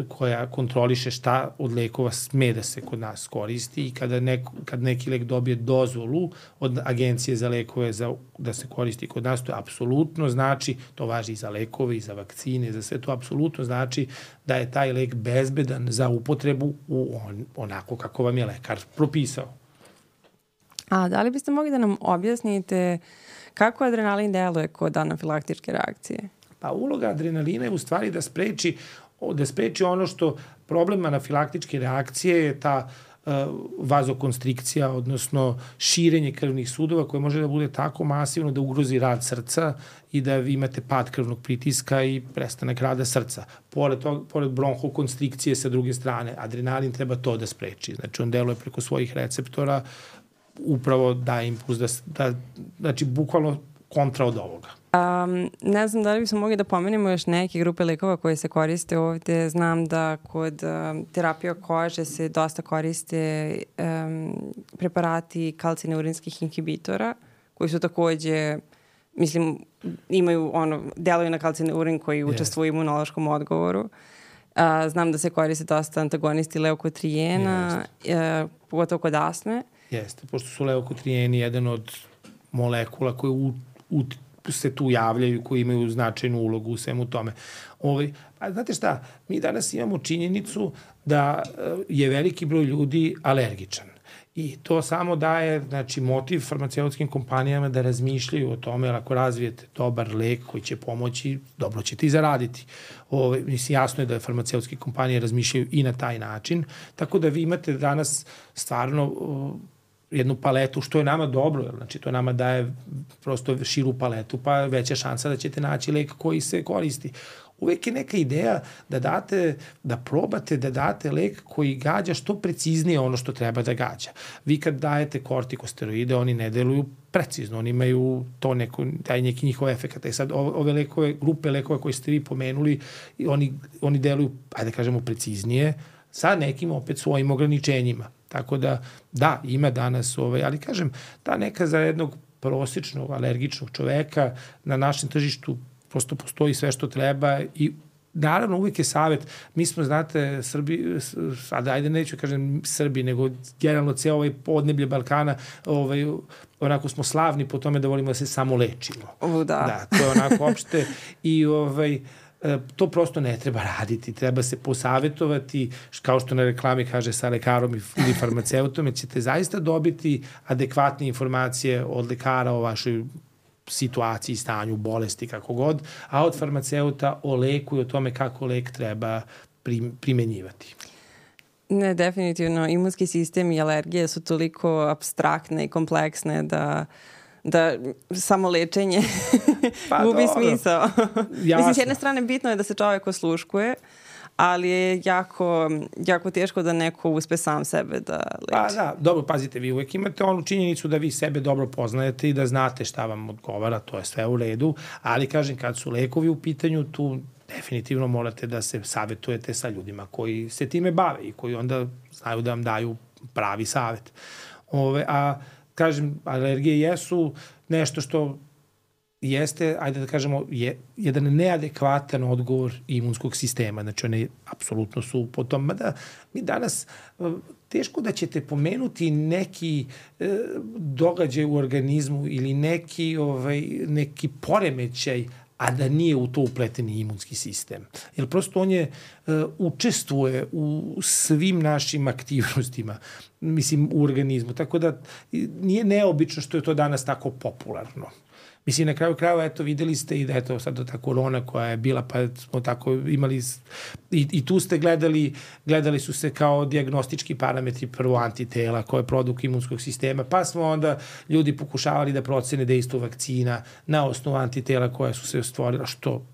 koja kontroliše šta od lekova sme da se kod nas koristi i kada neko, kad neki lek dobije dozvolu od agencije za lekove za, da se koristi kod nas, to je apsolutno znači, to važi i za lekove i za vakcine, za sve to apsolutno znači da je taj lek bezbedan za upotrebu u on, onako kako vam je lekar propisao. A da li biste mogli da nam objasnite kako adrenalin deluje kod anafilaktičke reakcije? Pa uloga adrenalina je u stvari da spreči da spreči ono što problem anafilaktičke reakcije je ta uh, vazokonstrikcija, odnosno širenje krvnih sudova koje može da bude tako masivno da ugrozi rad srca i da vi imate pad krvnog pritiska i prestanak rada srca. Pored, tog, pored bronhokonstrikcije sa druge strane, adrenalin treba to da spreči. Znači on deluje preko svojih receptora, upravo daje impuls da, da znači bukvalno kontra od ovoga. Um, ne znam da li bismo mogli da pomenemo još neke grupe lekova koje se koriste ovde. Znam da kod um, terapije kože se dosta koriste um, preparati kalcineurinskih inhibitora koji su takođe, mislim, imaju ono, deluju na kalcineurin koji učestvuje u imunološkom odgovoru. Uh, znam da se koriste dosta antagonisti leukotrijena, uh, pogotovo kod astme. Jeste, pošto su leukotrijeni jedan od molekula koje u, u se tu javljaju, koji imaju značajnu ulogu u svemu tome. Ovaj, a znate šta, mi danas imamo činjenicu da je veliki broj ljudi alergičan. I to samo daje, znači, motiv farmaceutskim kompanijama da razmišljaju o tome, jer ako razvijete dobar lek koji će pomoći, dobro ćete i zaraditi. Ovaj, mislim, jasno je da farmaceutske kompanije razmišljaju i na taj način, tako da vi imate danas stvarno jednu paletu, što je nama dobro, znači to nama daje prosto širu paletu, pa veća šansa da ćete naći lek koji se koristi. uvek je neka ideja da date, da probate da date lek koji gađa što preciznije ono što treba da gađa. Vi kad dajete kortikosteroide, oni ne deluju precizno, oni imaju to neko, taj neki njihov efekt. E sad, ove lekove, grupe lekova koje ste vi pomenuli, oni, oni deluju, ajde da kažemo, preciznije, sa nekim opet svojim ograničenjima. Tako da, da, ima danas, ovaj, ali kažem, ta neka za jednog prosječnog alergičnog čoveka na našem tržištu prosto postoji sve što treba i naravno uvijek je savjet, mi smo, znate, Srbi, sada ajde neću kažem Srbi, nego generalno ceo ovaj podneblje Balkana, ovaj, onako smo slavni po tome da volimo da se samo lečimo. O, da. Da, to je onako opšte i ovaj, to prosto ne treba raditi, treba se posavetovati, kao što na reklami kaže, sa lekarom ili farmaceutom, jer ćete zaista dobiti adekvatne informacije od lekara o vašoj situaciji, stanju, bolesti, kako god, a od farmaceuta o leku i o tome kako lek treba primenjivati. Ne, definitivno. Imunski sistem i alergije su toliko apstraktne i kompleksne da da samo lečenje pa, gubi smisao. Mislim, s jedne strane bitno je da se čovjek osluškuje, ali je jako, jako teško da neko uspe sam sebe da leči. Pa da, dobro, pazite, vi uvek imate onu činjenicu da vi sebe dobro poznajete i da znate šta vam odgovara, to je sve u redu, ali kažem, kad su lekovi u pitanju, tu definitivno morate da se savetujete sa ljudima koji se time bave i koji onda znaju da vam daju pravi savet. Ove, a kažem, alergije jesu nešto što jeste, ajde da kažemo, je jedan neadekvatan odgovor imunskog sistema. Znači, one apsolutno su po tom, mada mi danas teško da ćete pomenuti neki e, događaj u organizmu ili neki, ovaj, neki poremećaj, a da nije u to upleten imunski sistem. Jer prosto on je, uh, učestvuje u svim našim aktivnostima, mislim, u organizmu. Tako da nije neobično što je to danas tako popularno. Mislim, na kraju krajeva, eto, videli ste i da, eto, sad ta korona koja je bila, pa smo tako imali, i, i tu ste gledali, gledali su se kao dijagnostički parametri prvo antitela koje je produkt imunskog sistema, pa smo onda ljudi pokušavali da procene dejstvo vakcina na osnovu antitela koja su se stvorila, što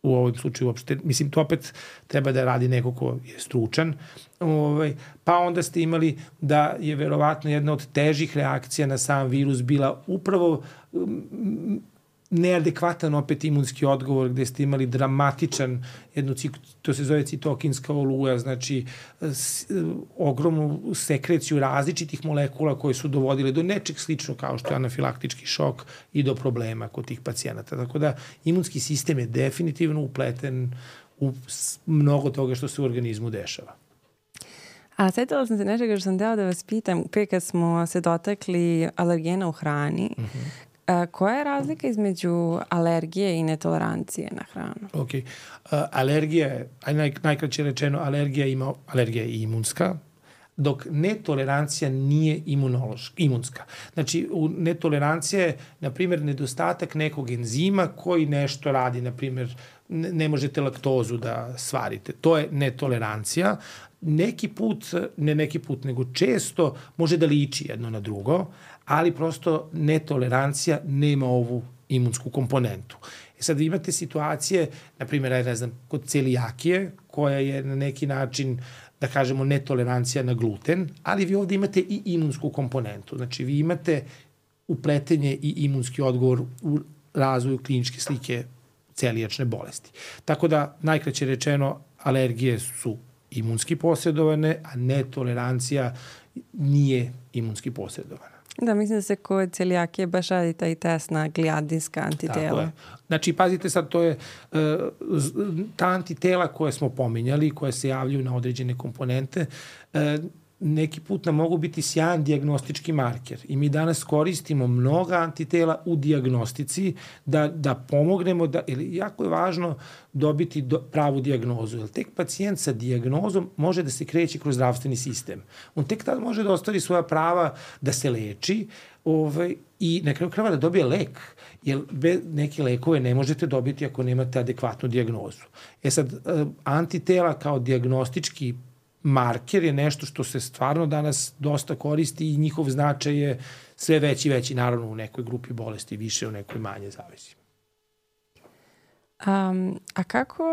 u ovom slučaju uopšte, mislim, to opet treba da radi neko ko je stručan, ovaj, pa onda ste imali da je verovatno jedna od težih reakcija na sam virus bila upravo um, neadekvatan opet imunski odgovor, gde ste imali dramatičan, jednu, to se zove citokinska oluja, znači s, ogromnu sekreciju različitih molekula koje su dovodile do nečeg slično kao što je anafilaktički šok i do problema kod tih pacijenata. Tako da imunski sistem je definitivno upleten u mnogo toga što se u organizmu dešava. A setila sam se nečega što sam deo da vas pitam, pre kad smo se dotakli alergena u hrani, uh-huh. A, koja je razlika između alergije i netolerancije na hranu? Ok. Uh, alergija je, naj, najkraće rečeno, alergija, ima, alergija je imunska, dok netolerancija nije imunološka, imunska. Znači, u netolerancija je, na primjer, nedostatak nekog enzima koji nešto radi, na primjer, ne, ne možete laktozu da svarite. To je netolerancija. Neki put, ne neki put, nego često može da liči jedno na drugo, ali prosto netolerancija nema ovu imunsku komponentu. E sad imate situacije, na primjer, ne znam, kod celijakije, koja je na neki način, da kažemo, netolerancija na gluten, ali vi ovde imate i imunsku komponentu. Znači, vi imate upletenje i imunski odgovor u razvoju kliničke slike celijačne bolesti. Tako da, najkraće rečeno, alergije su imunski posredovane, a netolerancija nije imunski posredovana. Da, mislim da se kod celijakije baš radi taj test na glijadinska antitela. Znači, pazite sad, to je uh, ta antitela koje smo pominjali, koje se javljaju na određene komponente, uh, neki put nam mogu biti sjajan dijagnostički marker i mi danas koristimo mnoga antitela u dijagnostici da, da pomognemo, da, ili jako je važno dobiti do, pravu dijagnozu, jer tek pacijent sa dijagnozom može da se kreće kroz zdravstveni sistem. On tek tad može da ostvari svoja prava da se leči ovaj, i na kraju krajeva da dobije lek, jer bez neke lekove ne možete dobiti ako nemate adekvatnu dijagnozu. E sad, antitela kao dijagnostički marker je nešto što se stvarno danas dosta koristi i njihov značaj je sve veći i veći, naravno u nekoj grupi bolesti više, u nekoj manje zavisi. Um, a kako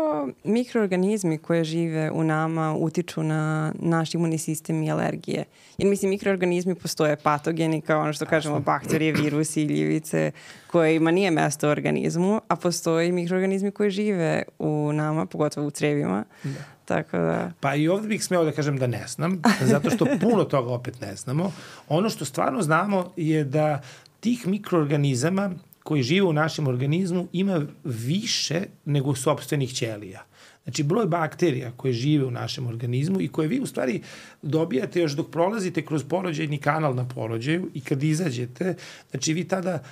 mikroorganizmi koje žive u nama utiču na naš imunni sistem i alergije? Jer mislim, mikroorganizmi postoje patogeni kao ono što kažemo bakterije, virusi, gljivice, kojima nije mesto u organizmu, a postoje mikroorganizmi koji žive u nama, pogotovo u crevima. Da. Tako da... Pa i ovdje bih smeo da kažem da ne znam, zato što puno toga opet ne znamo. Ono što stvarno znamo je da tih mikroorganizama koji žive u našem organizmu ima više nego sopstvenih ćelija. Znači, broj bakterija koje žive u našem organizmu i koje vi u stvari dobijate još dok prolazite kroz porođajni kanal na porođaju i kad izađete, znači vi tada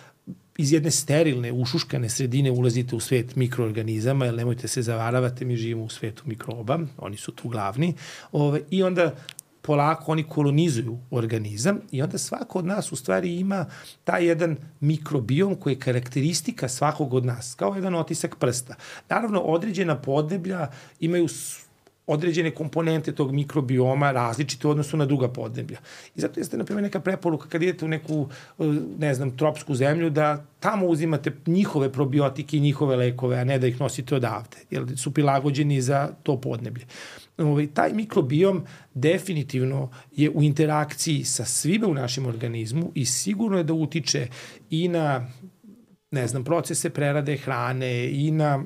iz jedne sterilne, ušuškane sredine ulazite u svet mikroorganizama, jer nemojte se zavaravati, mi živimo u svetu mikroba, oni su tu glavni, ove, i onda polako oni kolonizuju organizam i onda svako od nas u stvari ima taj jedan mikrobiom koji je karakteristika svakog od nas, kao jedan otisak prsta. Naravno, određena podneblja imaju određene komponente tog mikrobioma različite u odnosu na druga podneblja. I zato jeste, na primjer, neka preporuka kad idete u neku, ne znam, tropsku zemlju, da tamo uzimate njihove probiotike i njihove lekove, a ne da ih nosite odavde, jer su prilagođeni za to podneblje. Ovaj, taj mikrobiom definitivno je u interakciji sa svime u našem organizmu i sigurno je da utiče i na, ne znam, procese prerade hrane i na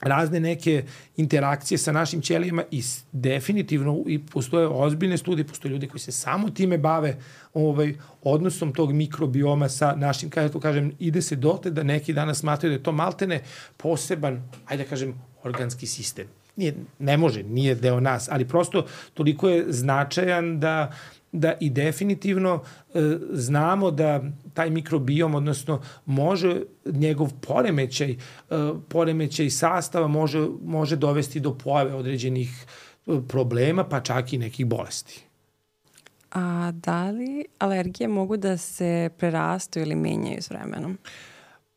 razne neke interakcije sa našim ćelijama i definitivno i postoje ozbiljne studije, postoje ljudi koji se samo time bave ovaj, odnosom tog mikrobioma sa našim, kada to kažem, ide se dotle da neki danas smatraju da je to maltene poseban, ajde da kažem, organski sistem. Nije, ne može, nije deo nas, ali prosto toliko je značajan da da i definitivno e, znamo da taj mikrobiom, odnosno može njegov poremećaj, e, poremećaj sastava može, može dovesti do pojave određenih problema, pa čak i nekih bolesti. A da li alergije mogu da se prerastu ili menjaju s vremenom?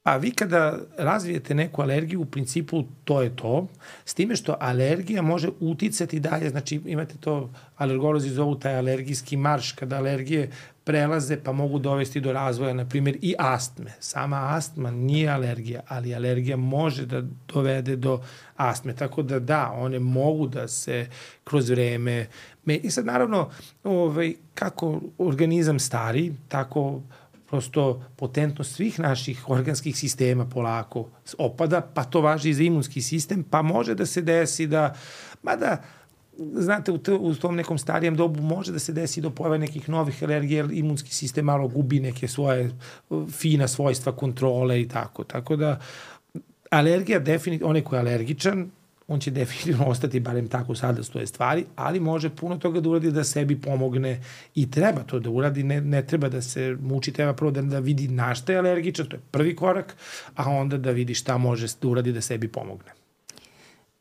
Pa vi kada razvijete neku alergiju, u principu to je to, s time što alergija može uticati dalje, znači imate to, alergolozi zovu taj alergijski marš, kada alergije prelaze pa mogu dovesti do razvoja, na primjer, i astme. Sama astma nije alergija, ali alergija može da dovede do astme, tako da da, one mogu da se kroz vreme... I sad naravno, ovaj, kako organizam stari, tako prosto potentnost svih naših organskih sistema polako opada, pa to važi i za imunski sistem, pa može da se desi da, mada, znate, u, to, u tom nekom starijem dobu može da se desi do pojave nekih novih alergija, jer imunski sistem malo gubi neke svoje fina svojstva kontrole i tako. Tako da, alergija definitivno, onaj ko je alergičan, on će definitivno ostati, barem tako sada stoje stvari, ali može puno toga da uradi da sebi pomogne i treba to da uradi, ne, ne treba da se muči, treba prvo da, da vidi na šta je alergičan, to je prvi korak, a onda da vidi šta može da uradi da sebi pomogne.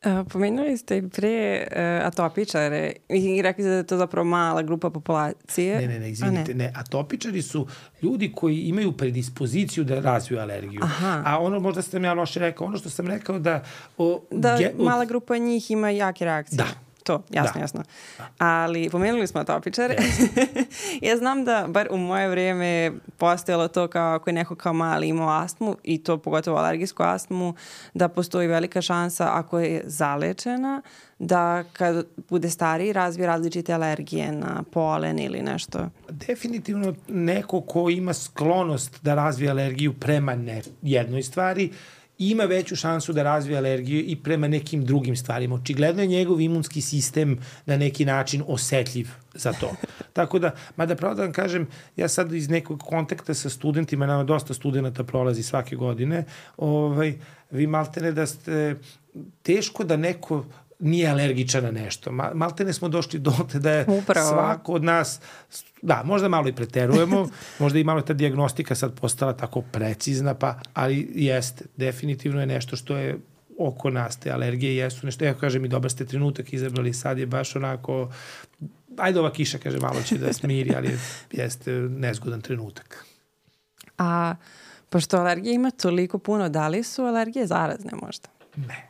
Uh, pomenuli ste i pre uh, atopičare i rekli ste da je to zapravo mala grupa populacije. Ne, ne, ne, izvinite, ne. ne. Atopičari su ljudi koji imaju predispoziciju da razviju alergiju. Aha. A ono, možda sam ja loše rekao, ono što sam rekao da... O, da ge, o, mala grupa njih ima jake reakcije. Da. To, jasno, da. jasno. Da. Ali pomenuli smo atopičare. Ja znam da, bar u moje vrijeme, postojalo to kao ako je neko kao mali imao astmu, i to pogotovo alergijsku astmu, da postoji velika šansa ako je zalečena, da kad bude stariji razvije različite alergije na polen ili nešto. Definitivno neko ko ima sklonost da razvije alergiju prema ne jednoj stvari, ima veću šansu da razvije alergiju i prema nekim drugim stvarima. Očigledno je njegov imunski sistem na neki način osetljiv za to. Tako da, mada pravo da vam kažem, ja sad iz nekog kontakta sa studentima, nama dosta studenta prolazi svake godine, ovaj, vi maltene da ste, teško da neko nije alergičan na nešto. Maltene smo došli do te da je Upravo. svako od nas, da, možda malo i preterujemo, možda i malo ta dijagnostika sad postala tako precizna, pa, ali jeste, definitivno je nešto što je oko nas, te alergije jesu nešto, ja kažem i dobar ste trenutak izabrali, sad je baš onako, ajde ova kiša, kaže, malo će da smiri, ali jeste nezgodan trenutak. A pošto alergija ima toliko puno, da li su alergije zarazne možda? Ne,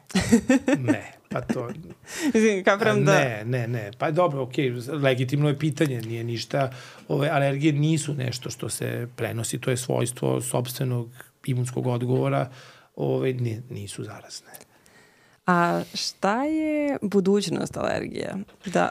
ne, pa to... Kapram da... Ne, ne, ne, pa dobro, okej, okay, legitimno je pitanje, nije ništa, ove alergije nisu nešto što se prenosi, to je svojstvo sopstvenog imunskog odgovora, ovaj, nisu zarazne. A šta je budućnost alergije? Da,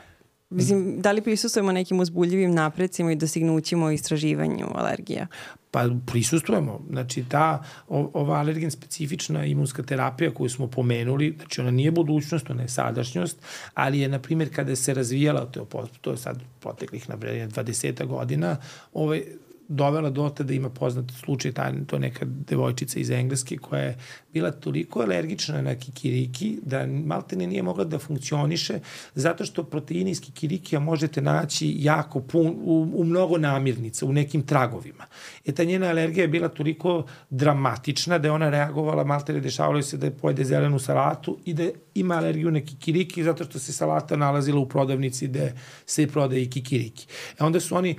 mislim, da li prisustujemo nekim uzbuljivim naprecima i dostignućima u istraživanju alergija? Pa prisustujemo. Znači, ta, ova alergen specifična imunska terapija koju smo pomenuli, znači ona nije budućnost, ona je sadašnjost, ali je, na primjer, kada se razvijala, to je, to je sad proteklih, na primjer, dvadeset godina, ovaj, dovela do te da ima poznat slučaj, to je neka devojčica iz Engleske koja je bila toliko alergična na kikiriki da maltene nije mogla da funkcioniše zato što proteini iz kikirikija možete naći jako pun, u, u mnogo namirnica, u nekim tragovima. E ta njena alergija je bila toliko dramatična da je ona reagovala, maltene dešavalo se da je pojede zelenu salatu i da ima alergiju na kikiriki zato što se salata nalazila u prodavnici gde se prodaje i kikiriki. E onda su oni,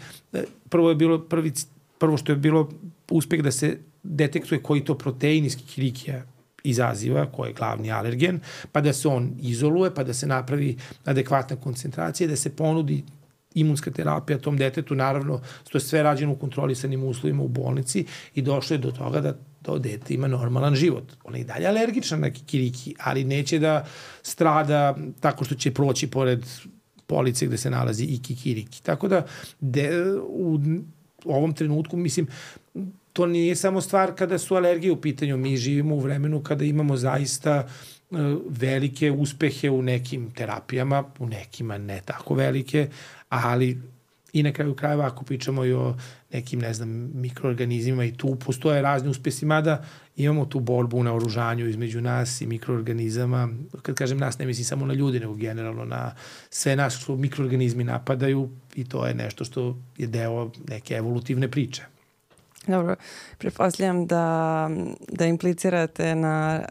prvo je bilo, prvi, prvo što je bilo uspeh da se detektuje koji to protein iz kikirikija izaziva, koji je glavni alergen, pa da se on izoluje, pa da se napravi adekvatna koncentracija, da se ponudi imunska terapija tom detetu, naravno, to je sve rađeno u kontrolisanim uslovima u bolnici i došlo je do toga da to dete ima normalan život. Ona je i dalje alergična na kikiriki, ali neće da strada tako što će proći pored police gde se nalazi i kikiriki. Tako da de, u ovom trenutku, mislim, to nije samo stvar kada su alergije u pitanju. Mi živimo u vremenu kada imamo zaista uh, velike uspehe u nekim terapijama, u nekima ne tako velike, ali i na kraju krajeva ako pričamo i o nekim, ne znam, mikroorganizmima i tu postoje razni uspesi, mada imamo tu borbu u naoružanju između nas i mikroorganizama. Kad kažem nas, ne mislim samo na ljudi, nego generalno na sve nas što mikroorganizmi napadaju i to je nešto što je deo neke evolutivne priče. Dobro, pretpostavljam da, da implicirate na,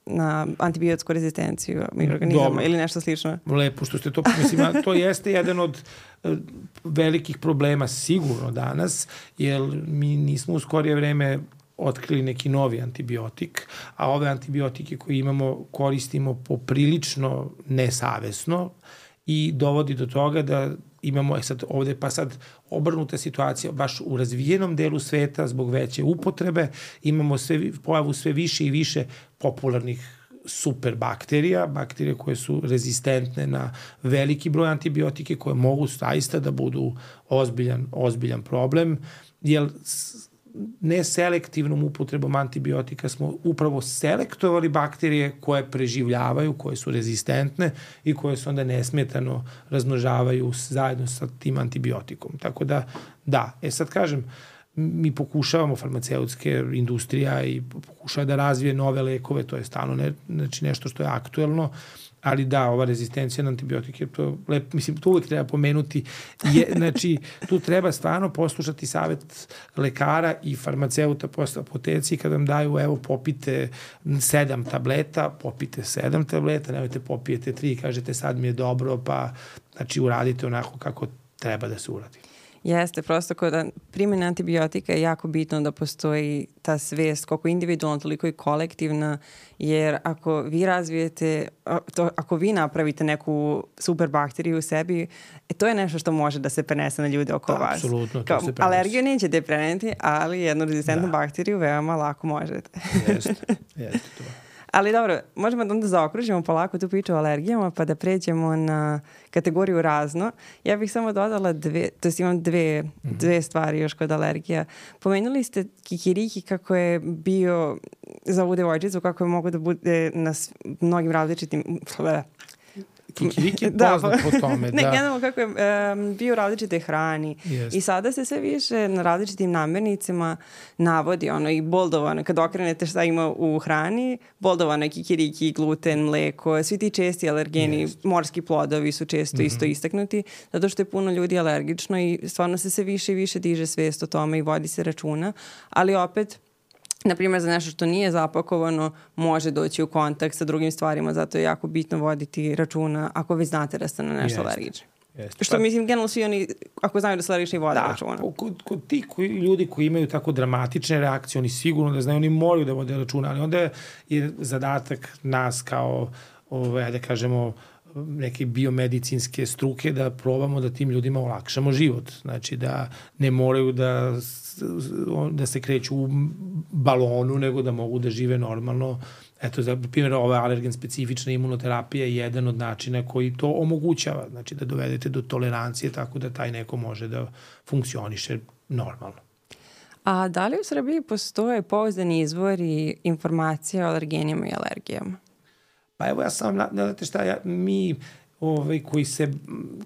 na antibiotsku rezistenciju mikroorganizama. Dobro. Ili nešto slično. Lepo što ste to, mislim, to jeste jedan od velikih problema sigurno danas, jer mi nismo u skorije vreme otkrili neki novi antibiotik, a ove antibiotike koje imamo koristimo poprilično nesavesno i dovodi do toga da imamo, e sad ovde pa sad obrnuta situacija, baš u razvijenom delu sveta zbog veće upotrebe imamo sve, pojavu sve više i više popularnih superbakterija, bakterije koje su rezistentne na veliki broj antibiotike, koje mogu zaista da budu ozbiljan, ozbiljan problem, jer neselektivnom upotrebom antibiotika smo upravo selektovali bakterije koje preživljavaju, koje su rezistentne i koje se onda nesmetano razmnožavaju zajedno sa tim antibiotikom. Tako da, da, e sad kažem, mi pokušavamo, farmaceutske industrija i pokušava da razvije nove lekove, to je stalno ne, znači nešto što je aktuelno, ali da, ova rezistencija na antibiotike, to, lep, mislim, to uvek treba pomenuti, je, znači, tu treba stvarno poslušati savet lekara i farmaceuta posle apoteci, kad vam daju, evo, popite sedam tableta, popite sedam tableta, nemojte popijete tri i kažete sad mi je dobro, pa, znači, uradite onako kako treba da se uradi. Jeste, prosto kod primjene antibiotika je jako bitno da postoji ta svest, koliko individualna, toliko i kolektivna, jer ako vi razvijete, to, ako vi napravite neku super bakteriju u sebi, e, to je nešto što može da se prenese na ljude oko da, vas. Apsolutno, to Kao, se prenese. Alergiju nećete preneti, ali jednu rezistentnu da. bakteriju veoma lako možete. Jeste, jeste to. Ali dobro, možemo da onda zaokružimo polako tu priču o alergijama pa da pređemo na kategoriju razno. Ja bih samo dodala dve, to jest imam dve, mm-hmm. dve stvari još kod alergija. Pomenuli ste kikiriki kako je bio za ovu devojčicu, kako je mogo da bude na mnogim različitim... Kikiriki je poznat po tome. Ne, da. generalno kako je um, bio u različite hrani. Yes. I sada se sve više na različitim namirnicama navodi ono i boldovano. Kad okrenete šta ima u hrani, boldovano je kikiriki, gluten, mleko, svi ti česti alergeni, yes. morski plodovi su često mm-hmm. isto istaknuti, zato što je puno ljudi alergično i stvarno se sve više i više diže svest o tome i vodi se računa. Ali opet, na primjer, za nešto što nije zapakovano, može doći u kontakt sa drugim stvarima, zato je jako bitno voditi računa ako vi znate da ste na nešto Jest. alergični. Jeste. Što pa, mislim, generalno svi oni, ako znaju da su alergični, vode da, računa. Kod, kod ti koji, ljudi koji imaju tako dramatične reakcije, oni sigurno da znaju, oni moraju da vode računa, ali onda je zadatak nas kao, ove, da kažemo, neke biomedicinske struke da probamo da tim ljudima olakšamo život. Znači da ne moraju da, da se kreću u balonu, nego da mogu da žive normalno. Eto, za primjer, ova alergen specifična imunoterapija je jedan od načina koji to omogućava. Znači da dovedete do tolerancije tako da taj neko može da funkcioniše normalno. A da li u Srbiji postoje pouzdani izvori informacija o alergenima i alergijama? Pa evo ja sam, znate šta, ja, mi ovaj, koji, se,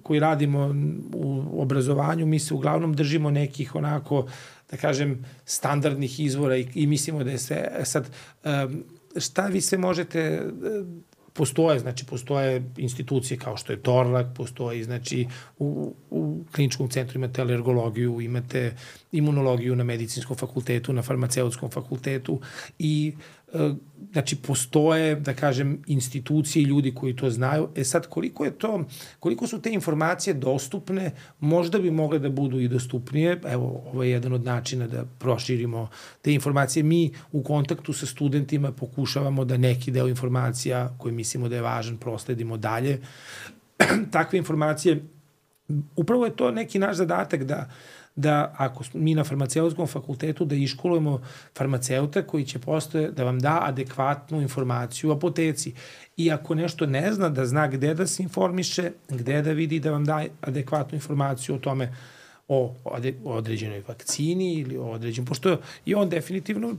koji radimo u obrazovanju, mi se uglavnom držimo nekih onako, da kažem, standardnih izvora i, i mislimo da je sve, sad, um, šta vi sve možete, postoje, znači postoje institucije kao što je Torlak, postoji, znači u, u kliničkom centru imate alergologiju, imate imunologiju na medicinskom fakultetu, na farmaceutskom fakultetu i znači postoje, da kažem, institucije i ljudi koji to znaju. E sad, koliko je to, koliko su te informacije dostupne, možda bi mogle da budu i dostupnije. Evo, ovo je jedan od načina da proširimo te informacije. Mi u kontaktu sa studentima pokušavamo da neki deo informacija koji mislimo da je važan prosledimo dalje. Takve informacije, upravo je to neki naš zadatak da da ako mi na farmaceutskom fakultetu da iškolujemo farmaceuta koji će postoje da vam da adekvatnu informaciju u apoteci. I ako nešto ne zna, da zna gde da se informiše, gde da vidi da vam da adekvatnu informaciju o tome o, o određenoj vakcini ili o određenom, pošto je on definitivno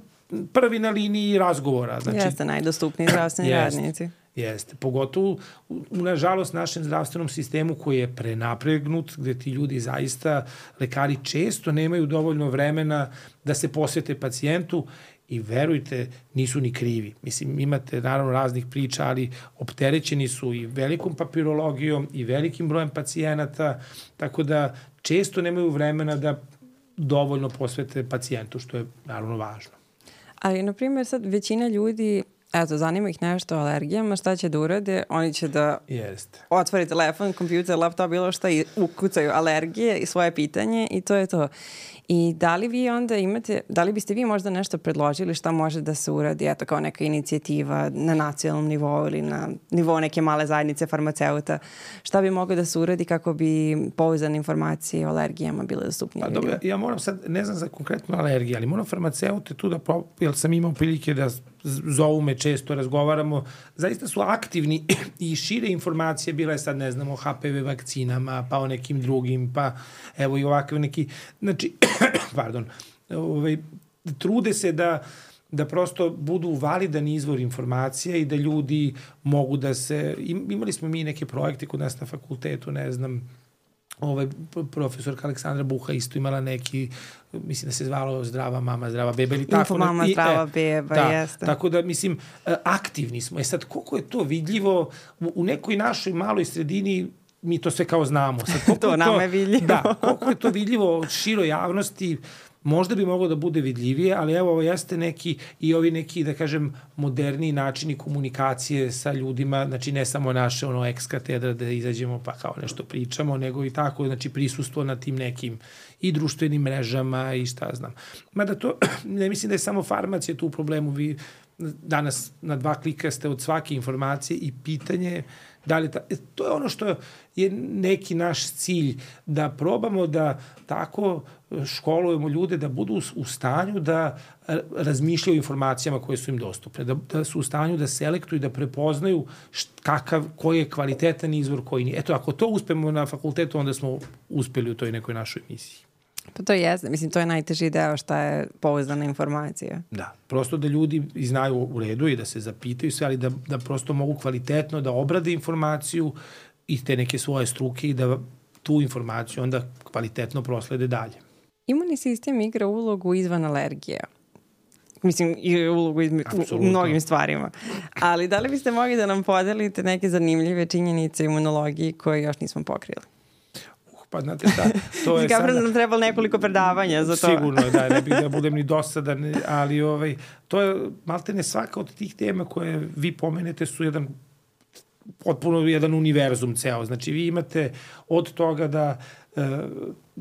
prvi na liniji razgovora. Znači, jeste najdostupniji zdravstveni radnici. Jeste, pogotovo u, nažalost, našem zdravstvenom sistemu koji je prenapregnut, gde ti ljudi zaista, lekari često nemaju dovoljno vremena da se posvete pacijentu i verujte, nisu ni krivi. Mislim, imate naravno raznih priča, ali opterećeni su i velikom papirologijom i velikim brojem pacijenata, tako da često nemaju vremena da dovoljno posvete pacijentu, što je naravno važno. Ali, na primjer, sad većina ljudi, eto, zanima ih nešto o alergijama, šta će da urade? Oni će da Jeste. otvori telefon, kompjuter, laptop, bilo šta i ukucaju alergije i svoje pitanje i to je to. I da li vi onda imate, da li biste vi možda nešto predložili šta može da se uradi, eto, kao neka inicijativa na nacionalnom nivou ili na nivou neke male zajednice farmaceuta, šta bi moglo da se uradi kako bi pouzdane informacije o alergijama bile dostupnije? Pa dobro, ja moram sad, ne znam za konkretno alergije, ali moram farmaceute tu da, pro, jer sam imao prilike da zovu me često, razgovaramo, zaista su aktivni i šire informacije, bila je sad, ne znam, o H P V vakcinama, pa o nekim drugim, pa evo i ovakve neki, znači, pardon, ovaj, trude se da da prosto budu validan izvor informacija i da ljudi mogu da se, imali smo mi neke projekte kod nas na fakultetu, ne znam, ovaj profesorka Aleksandra Buha isto imala neki, mislim da se zvalo Zdrava mama, zdrava beba ili tako. Info mama, i, zdrava e, beba, da, jeste. Tako da, mislim, aktivni smo. E sad, koliko je to vidljivo u, u nekoj našoj maloj sredini, mi to sve kao znamo. Sad, to nama je vidljivo. Da, koliko je to vidljivo široj javnosti, možda bi moglo da bude vidljivije, ali evo ovo jeste neki i ovi neki, da kažem, moderniji načini komunikacije sa ljudima, znači ne samo naše ono ex katedra da izađemo pa kao nešto pričamo, nego i tako, znači prisustvo na tim nekim i društvenim mrežama i šta znam. Mada to, ne mislim da je samo farmacija tu u problemu, vi danas na dva klika ste od svake informacije i pitanje da li ta, to je ono što je neki naš cilj, da probamo da tako školujemo ljude da budu u stanju da razmišljaju o informacijama koje su im dostupne, da, da su u stanju da selektuju, da prepoznaju št, kakav, koji je kvalitetan izvor, koji nije. Eto, ako to uspemo na fakultetu, onda smo uspeli u toj nekoj našoj misiji. Pa to jeste, mislim, to je najteži deo šta je pouzdana informacija. Da, prosto da ljudi znaju u redu i da se zapitaju sve, ali da, da prosto mogu kvalitetno da obrade informaciju i te neke svoje struke i da tu informaciju onda kvalitetno proslede dalje. Imunni sistem igra ulogu izvan alergija. Mislim, i ulogu izme, u, u mnogim stvarima. Ali da li biste mogli da nam podelite neke zanimljive činjenice imunologiji koje još nismo pokrili? Pa znate šta, to je sada... Kako nam trebalo nekoliko predavanja za to? Sigurno, da, ne bih da budem ni dosadan, ali ovaj, to je, maltene svaka od tih tema koje vi pomenete su jedan potpuno jedan univerzum ceo. Znači, vi imate od toga da uh,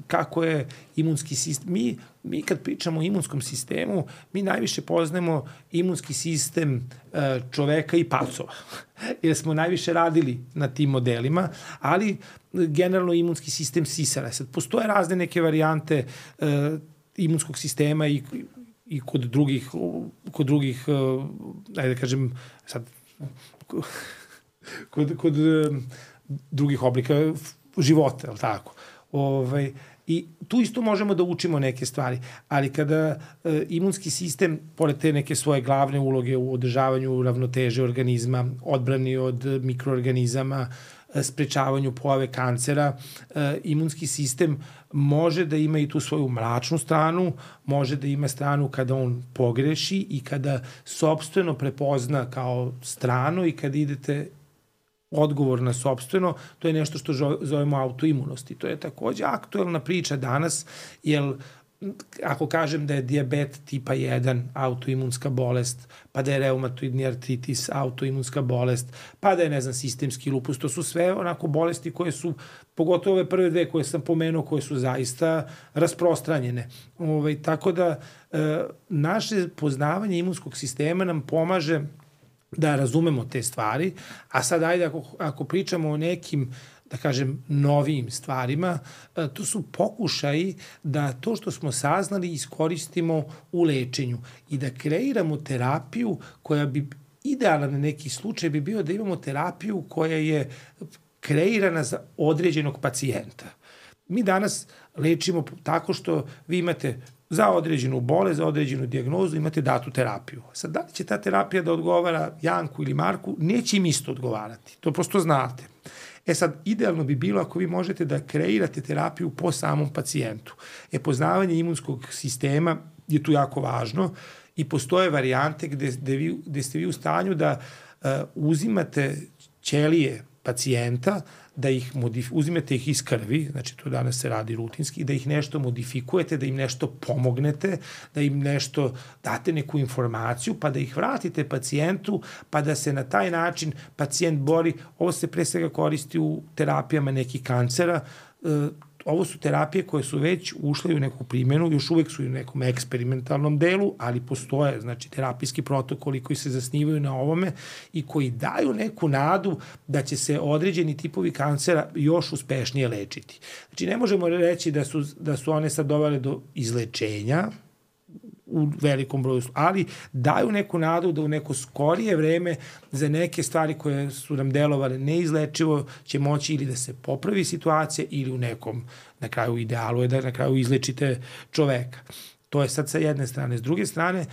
kako je imunski sistem. Mi, mi kad pričamo o imunskom sistemu, mi najviše poznajemo imunski sistem uh, čoveka i pacova. Jer smo najviše radili na tim modelima, ali generalno imunski sistem sisara. Sad, postoje razne neke varijante uh, imunskog sistema i, i kod drugih, kod drugih, uh, ajde da kažem, sad, kod, kod uh, drugih oblika života, je li tako? Ovaj, i tu isto možemo da učimo neke stvari, ali kada e, imunski sistem, pored te neke svoje glavne uloge u održavanju ravnoteže organizma, odbrani od mikroorganizama, e, sprečavanju pojave kancera, e, imunski sistem može da ima i tu svoju mračnu stranu, može da ima stranu kada on pogreši i kada sopstveno prepozna kao strano i kada idete odgovor na sopstveno, to je nešto što zovemo autoimunosti. To je takođe aktuelna priča danas, jer ako kažem da je dijabet tipa jedan autoimunska bolest, pa da je reumatoidni artritis autoimunska bolest, pa da je, ne znam, sistemski lupus, to su sve onako bolesti koje su, pogotovo ove prve dve koje sam pomenuo, koje su zaista rasprostranjene. Ove, tako da e, naše poznavanje imunskog sistema nam pomaže da razumemo te stvari, a sad ajde ako, ako pričamo o nekim, da kažem, novijim stvarima, to su pokušaji da to što smo saznali iskoristimo u lečenju i da kreiramo terapiju koja bi, idealan neki slučaj bi bio da imamo terapiju koja je kreirana za određenog pacijenta. Mi danas lečimo tako što vi imate za određenu bolest, za određenu dijagnozu imate datu terapiju. Sad, da li će ta terapija da odgovara Janku ili Marku, neće im isto odgovarati. To prosto znate. E sad, idealno bi bilo ako vi možete da kreirate terapiju po samom pacijentu. E, poznavanje imunskog sistema je tu jako važno i postoje varijante gde, gde, vi, gde ste vi u stanju da uh, uzimate ćelije pacijenta, da ih modif- uzimete ih iz krvi, znači to danas se radi rutinski, da ih nešto modifikujete, da im nešto pomognete, da im nešto date neku informaciju, pa da ih vratite pacijentu, pa da se na taj način pacijent bori. Ovo se pre svega koristi u terapijama nekih kancera. E, ovo su terapije koje su već ušle u neku primjenu, još uvek su u nekom eksperimentalnom delu, ali postoje, znači, terapijski protokoli koji se zasnivaju na ovome i koji daju neku nadu da će se određeni tipovi kancera još uspešnije lečiti. Znači, ne možemo reći da su, da su one sad dovele do izlečenja u velikom broju, ali daju neku nadu da u neko skorije vreme za neke stvari koje su nam delovale neizlečivo će moći ili da se popravi situacija ili u nekom, na kraju idealu je da na kraju izlečite čoveka. To je sad sa jedne strane. S druge strane,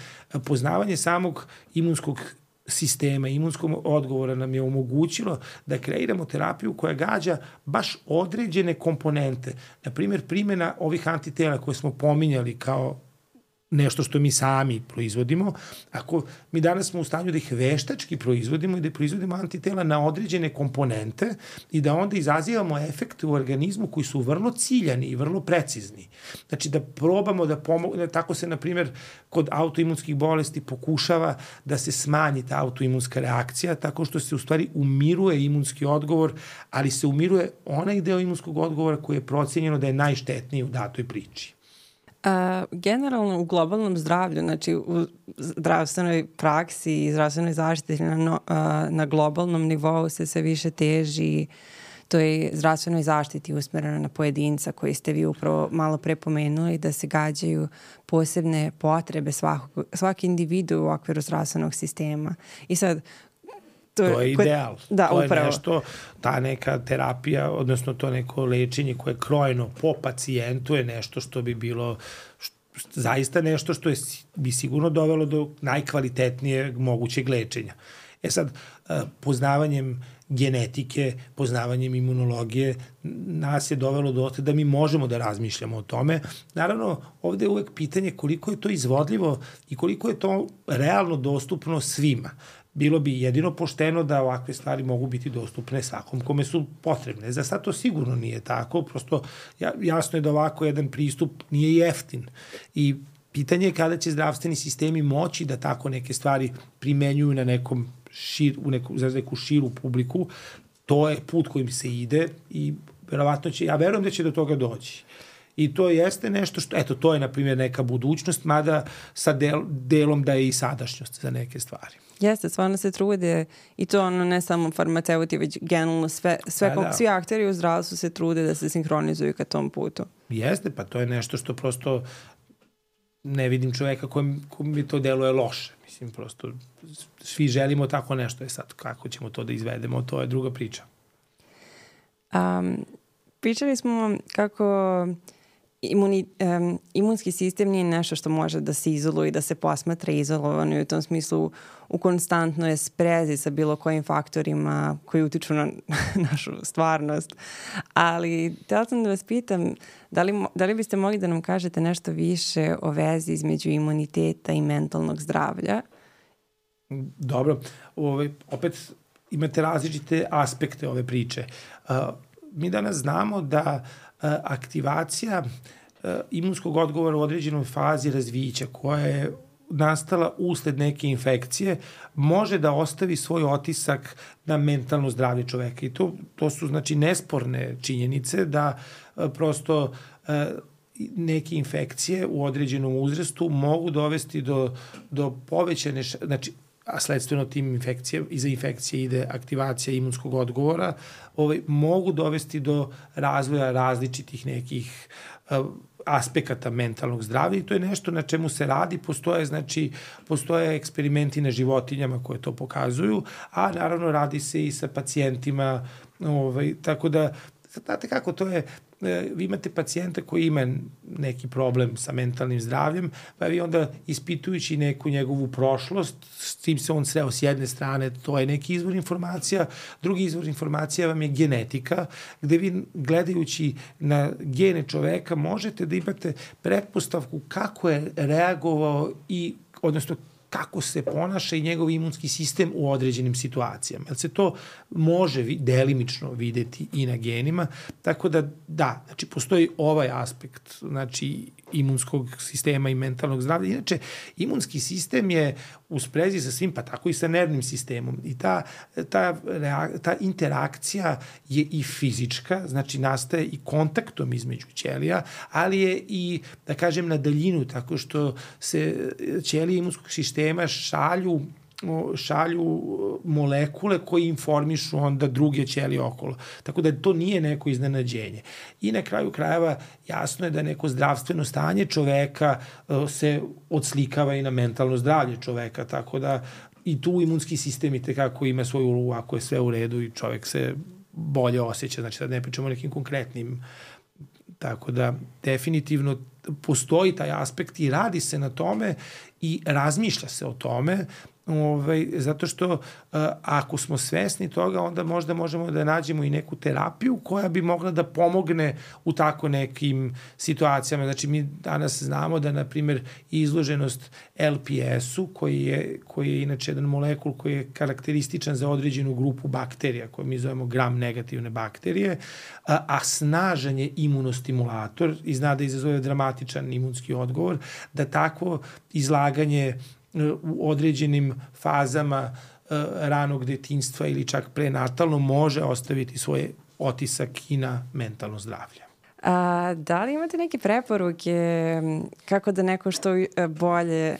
poznavanje samog imunskog sistema, imunskog odgovora nam je omogućilo da kreiramo terapiju koja gađa baš određene komponente. Naprimjer, primjena ovih antitela koje smo pominjali kao nešto što mi sami proizvodimo, ako mi danas smo u stanju da ih veštački proizvodimo i da proizvodimo antitela na određene komponente i da onda izazivamo efekte u organizmu koji su vrlo ciljani i vrlo precizni. Znači da probamo da pomogne, tako se, na primjer, kod autoimunskih bolesti pokušava da se smanji ta autoimunska reakcija tako što se u stvari umiruje imunski odgovor, ali se umiruje onaj deo imunskog odgovora koji je procenjeno da je najštetniji u datoj priči. Uh, generalno u globalnom zdravlju, znači u zdravstvenoj praksi i zdravstvenoj zaštiti na, no, uh, na globalnom nivou se sve više teži toj zdravstvenoj zaštiti usmereno na pojedinca koji ste vi upravo malo pre pomenuli, da se gađaju posebne potrebe svakog, svaki individu u okviru zdravstvenog sistema. I sad, To, to je ideal. Da, to upravo. je nešto, ta neka terapija, odnosno to neko lečenje koje je krojeno po pacijentu je nešto što bi bilo što, zaista nešto što je, bi sigurno dovelo do najkvalitetnijeg mogućeg lečenja. E sad, poznavanjem genetike, poznavanjem imunologije, nas je dovelo do toga da mi možemo da razmišljamo o tome. Naravno, ovde je uvek pitanje koliko je to izvodljivo i koliko je to realno dostupno svima. Bilo bi jedino pošteno da ovakve stvari mogu biti dostupne svakom kome su potrebne. Za sad to sigurno nije tako, prosto jasno je da ovako jedan pristup nije jeftin. I pitanje je kada će zdravstveni sistemi moći da tako neke stvari primenjuju na nekom šir, u neku, za neku širu publiku, to je put kojim se ide i verovatno će, ja verujem da će do toga doći. I to jeste nešto što, eto, to je, na primjer, neka budućnost, mada sa del, delom da je i sadašnjost za neke stvari. Jeste, stvarno se trude i to ono ne samo farmaceuti, već generalno sve, sve, da, da. svi akteri u zdravstvu se trude da se sinhronizuju ka tom putu. Jeste, pa to je nešto što prosto ne vidim čoveka kojem, kojem mi to deluje loše. Mislim, prosto svi želimo tako nešto. Je sad, kako ćemo to da izvedemo, to je druga priča. Um, pričali smo kako Imuni, um, imunski sistem nije nešto što može da se izoluje i da se posmatra izolovano i u tom smislu u konstantnoj sprezi sa bilo kojim faktorima koji utiču na našu stvarnost. Ali htjela sam da vas pitam, da li, da li biste mogli da nam kažete nešto više o vezi između imuniteta i mentalnog zdravlja? Dobro. Ove, opet imate različite aspekte ove priče. Uh, mi danas znamo da aktivacija imunskog odgovora u određenoj fazi razvića koja je nastala usled neke infekcije može da ostavi svoj otisak na mentalno zdravlje čoveka. I to, to su znači nesporne činjenice da prosto neke infekcije u određenom uzrastu mogu dovesti do, do povećane, znači a sledstveno tim infekcije, iza infekcije ide aktivacija imunskog odgovora, ovaj, mogu dovesti do razvoja različitih nekih uh, aspekata mentalnog zdravlja i to je nešto na čemu se radi. Postoje, znači, postoje eksperimenti na životinjama koje to pokazuju, a naravno radi se i sa pacijentima, ovaj, tako da, znate kako to je, vi imate pacijenta koji ima neki problem sa mentalnim zdravljem, pa vi onda ispitujući neku njegovu prošlost, s tim se on sreo s jedne strane, to je neki izvor informacija, drugi izvor informacija vam je genetika, gde vi gledajući na gene čoveka možete da imate pretpostavku kako je reagovao i, odnosno kako se ponaša i njegov imunski sistem u određenim situacijama. Jer se to može delimično videti i na genima, tako da da, znači postoji ovaj aspekt, znači imunskog sistema i mentalnog zdravlja. Inače, imunski sistem je u sprezi sa svim, pa tako i sa nervnim sistemom. I ta, ta, ta interakcija je i fizička, znači nastaje i kontaktom između ćelija, ali je i, da kažem, na daljinu, tako što se ćelije imunskog sistema šalju šalju molekule koji informišu onda druge ćelije okolo. Tako da to nije neko iznenađenje. I na kraju krajeva jasno je da neko zdravstveno stanje čoveka se odslikava i na mentalno zdravlje čoveka, tako da i tu imunski sistem i tekako ima svoju ulogu ako je sve u redu i čovek se bolje osjeća. Znači da ne pričamo o nekim konkretnim. Tako da definitivno postoji taj aspekt i radi se na tome i razmišlja se o tome. Ovaj, zato što uh, ako smo svesni toga, onda možda možemo da nađemo i neku terapiju koja bi mogla da pomogne u tako nekim situacijama. Znači mi danas znamo da, na primjer, izloženost L P S-u, koji je, koji je inače jedan molekul koji je karakterističan za određenu grupu bakterija, koju mi zovemo gram negativne bakterije, a, a snažan je imunostimulator i zna da izazove dramatičan imunski odgovor, da takvo izlaganje u određenim fazama uh, ranog detinjstva ili čak prenatalno može ostaviti svoje otisak i na mentalno zdravlje. A, da li imate neke preporuke kako da neko što bolje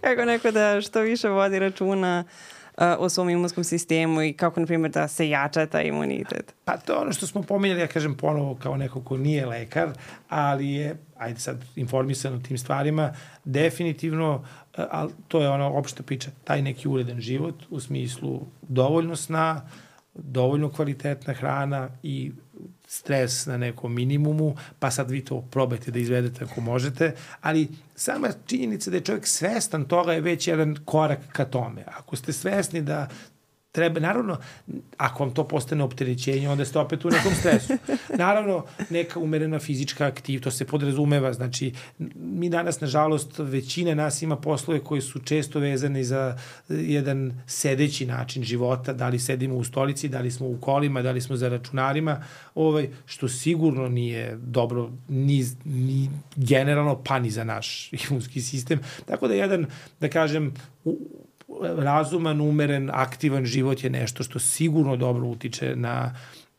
kako neko da što više vodi računa uh, o svom imunskom sistemu i kako, na primjer, da se jača taj imunitet? Pa to je ono što smo pominjali, ja kažem ponovo kao neko ko nije lekar, ali je, ajde sad, informisan o tim stvarima, definitivno, ali to je ona opšta priča, taj neki uredan život u smislu dovoljno sna, dovoljno kvalitetna hrana i stres na nekom minimumu, pa sad vi to probajte da izvedete ako možete, ali sama činjenica da je čovjek svestan toga je već jedan korak ka tome. Ako ste svesni da treba, naravno, ako vam to postane opterećenje, onda ste opet u nekom stresu. Naravno, neka umerena fizička aktivnost, to se podrazumeva, znači, mi danas, nažalost, većina nas ima poslove koji su često vezani za jedan sedeći način života, da li sedimo u stolici, da li smo u kolima, da li smo za računarima, ovaj, što sigurno nije dobro ni, ni generalno, pa ni za naš imunski sistem. Tako da jedan, da kažem, u, razuman, umeren, aktivan život je nešto što sigurno dobro utiče na...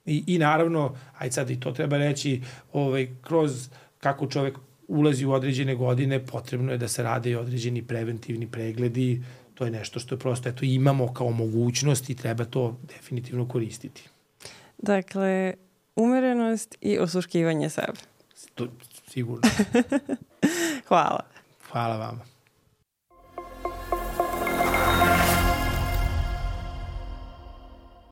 I, i naravno, aj sad i to treba reći, ovaj, kroz kako čovek ulazi u određene godine, potrebno je da se rade i određeni preventivni pregledi. To je nešto što je prosto, eto, imamo kao mogućnost i treba to definitivno koristiti. Dakle, umerenost i osluškivanje sebe. To, sigurno. Hvala. Hvala vama.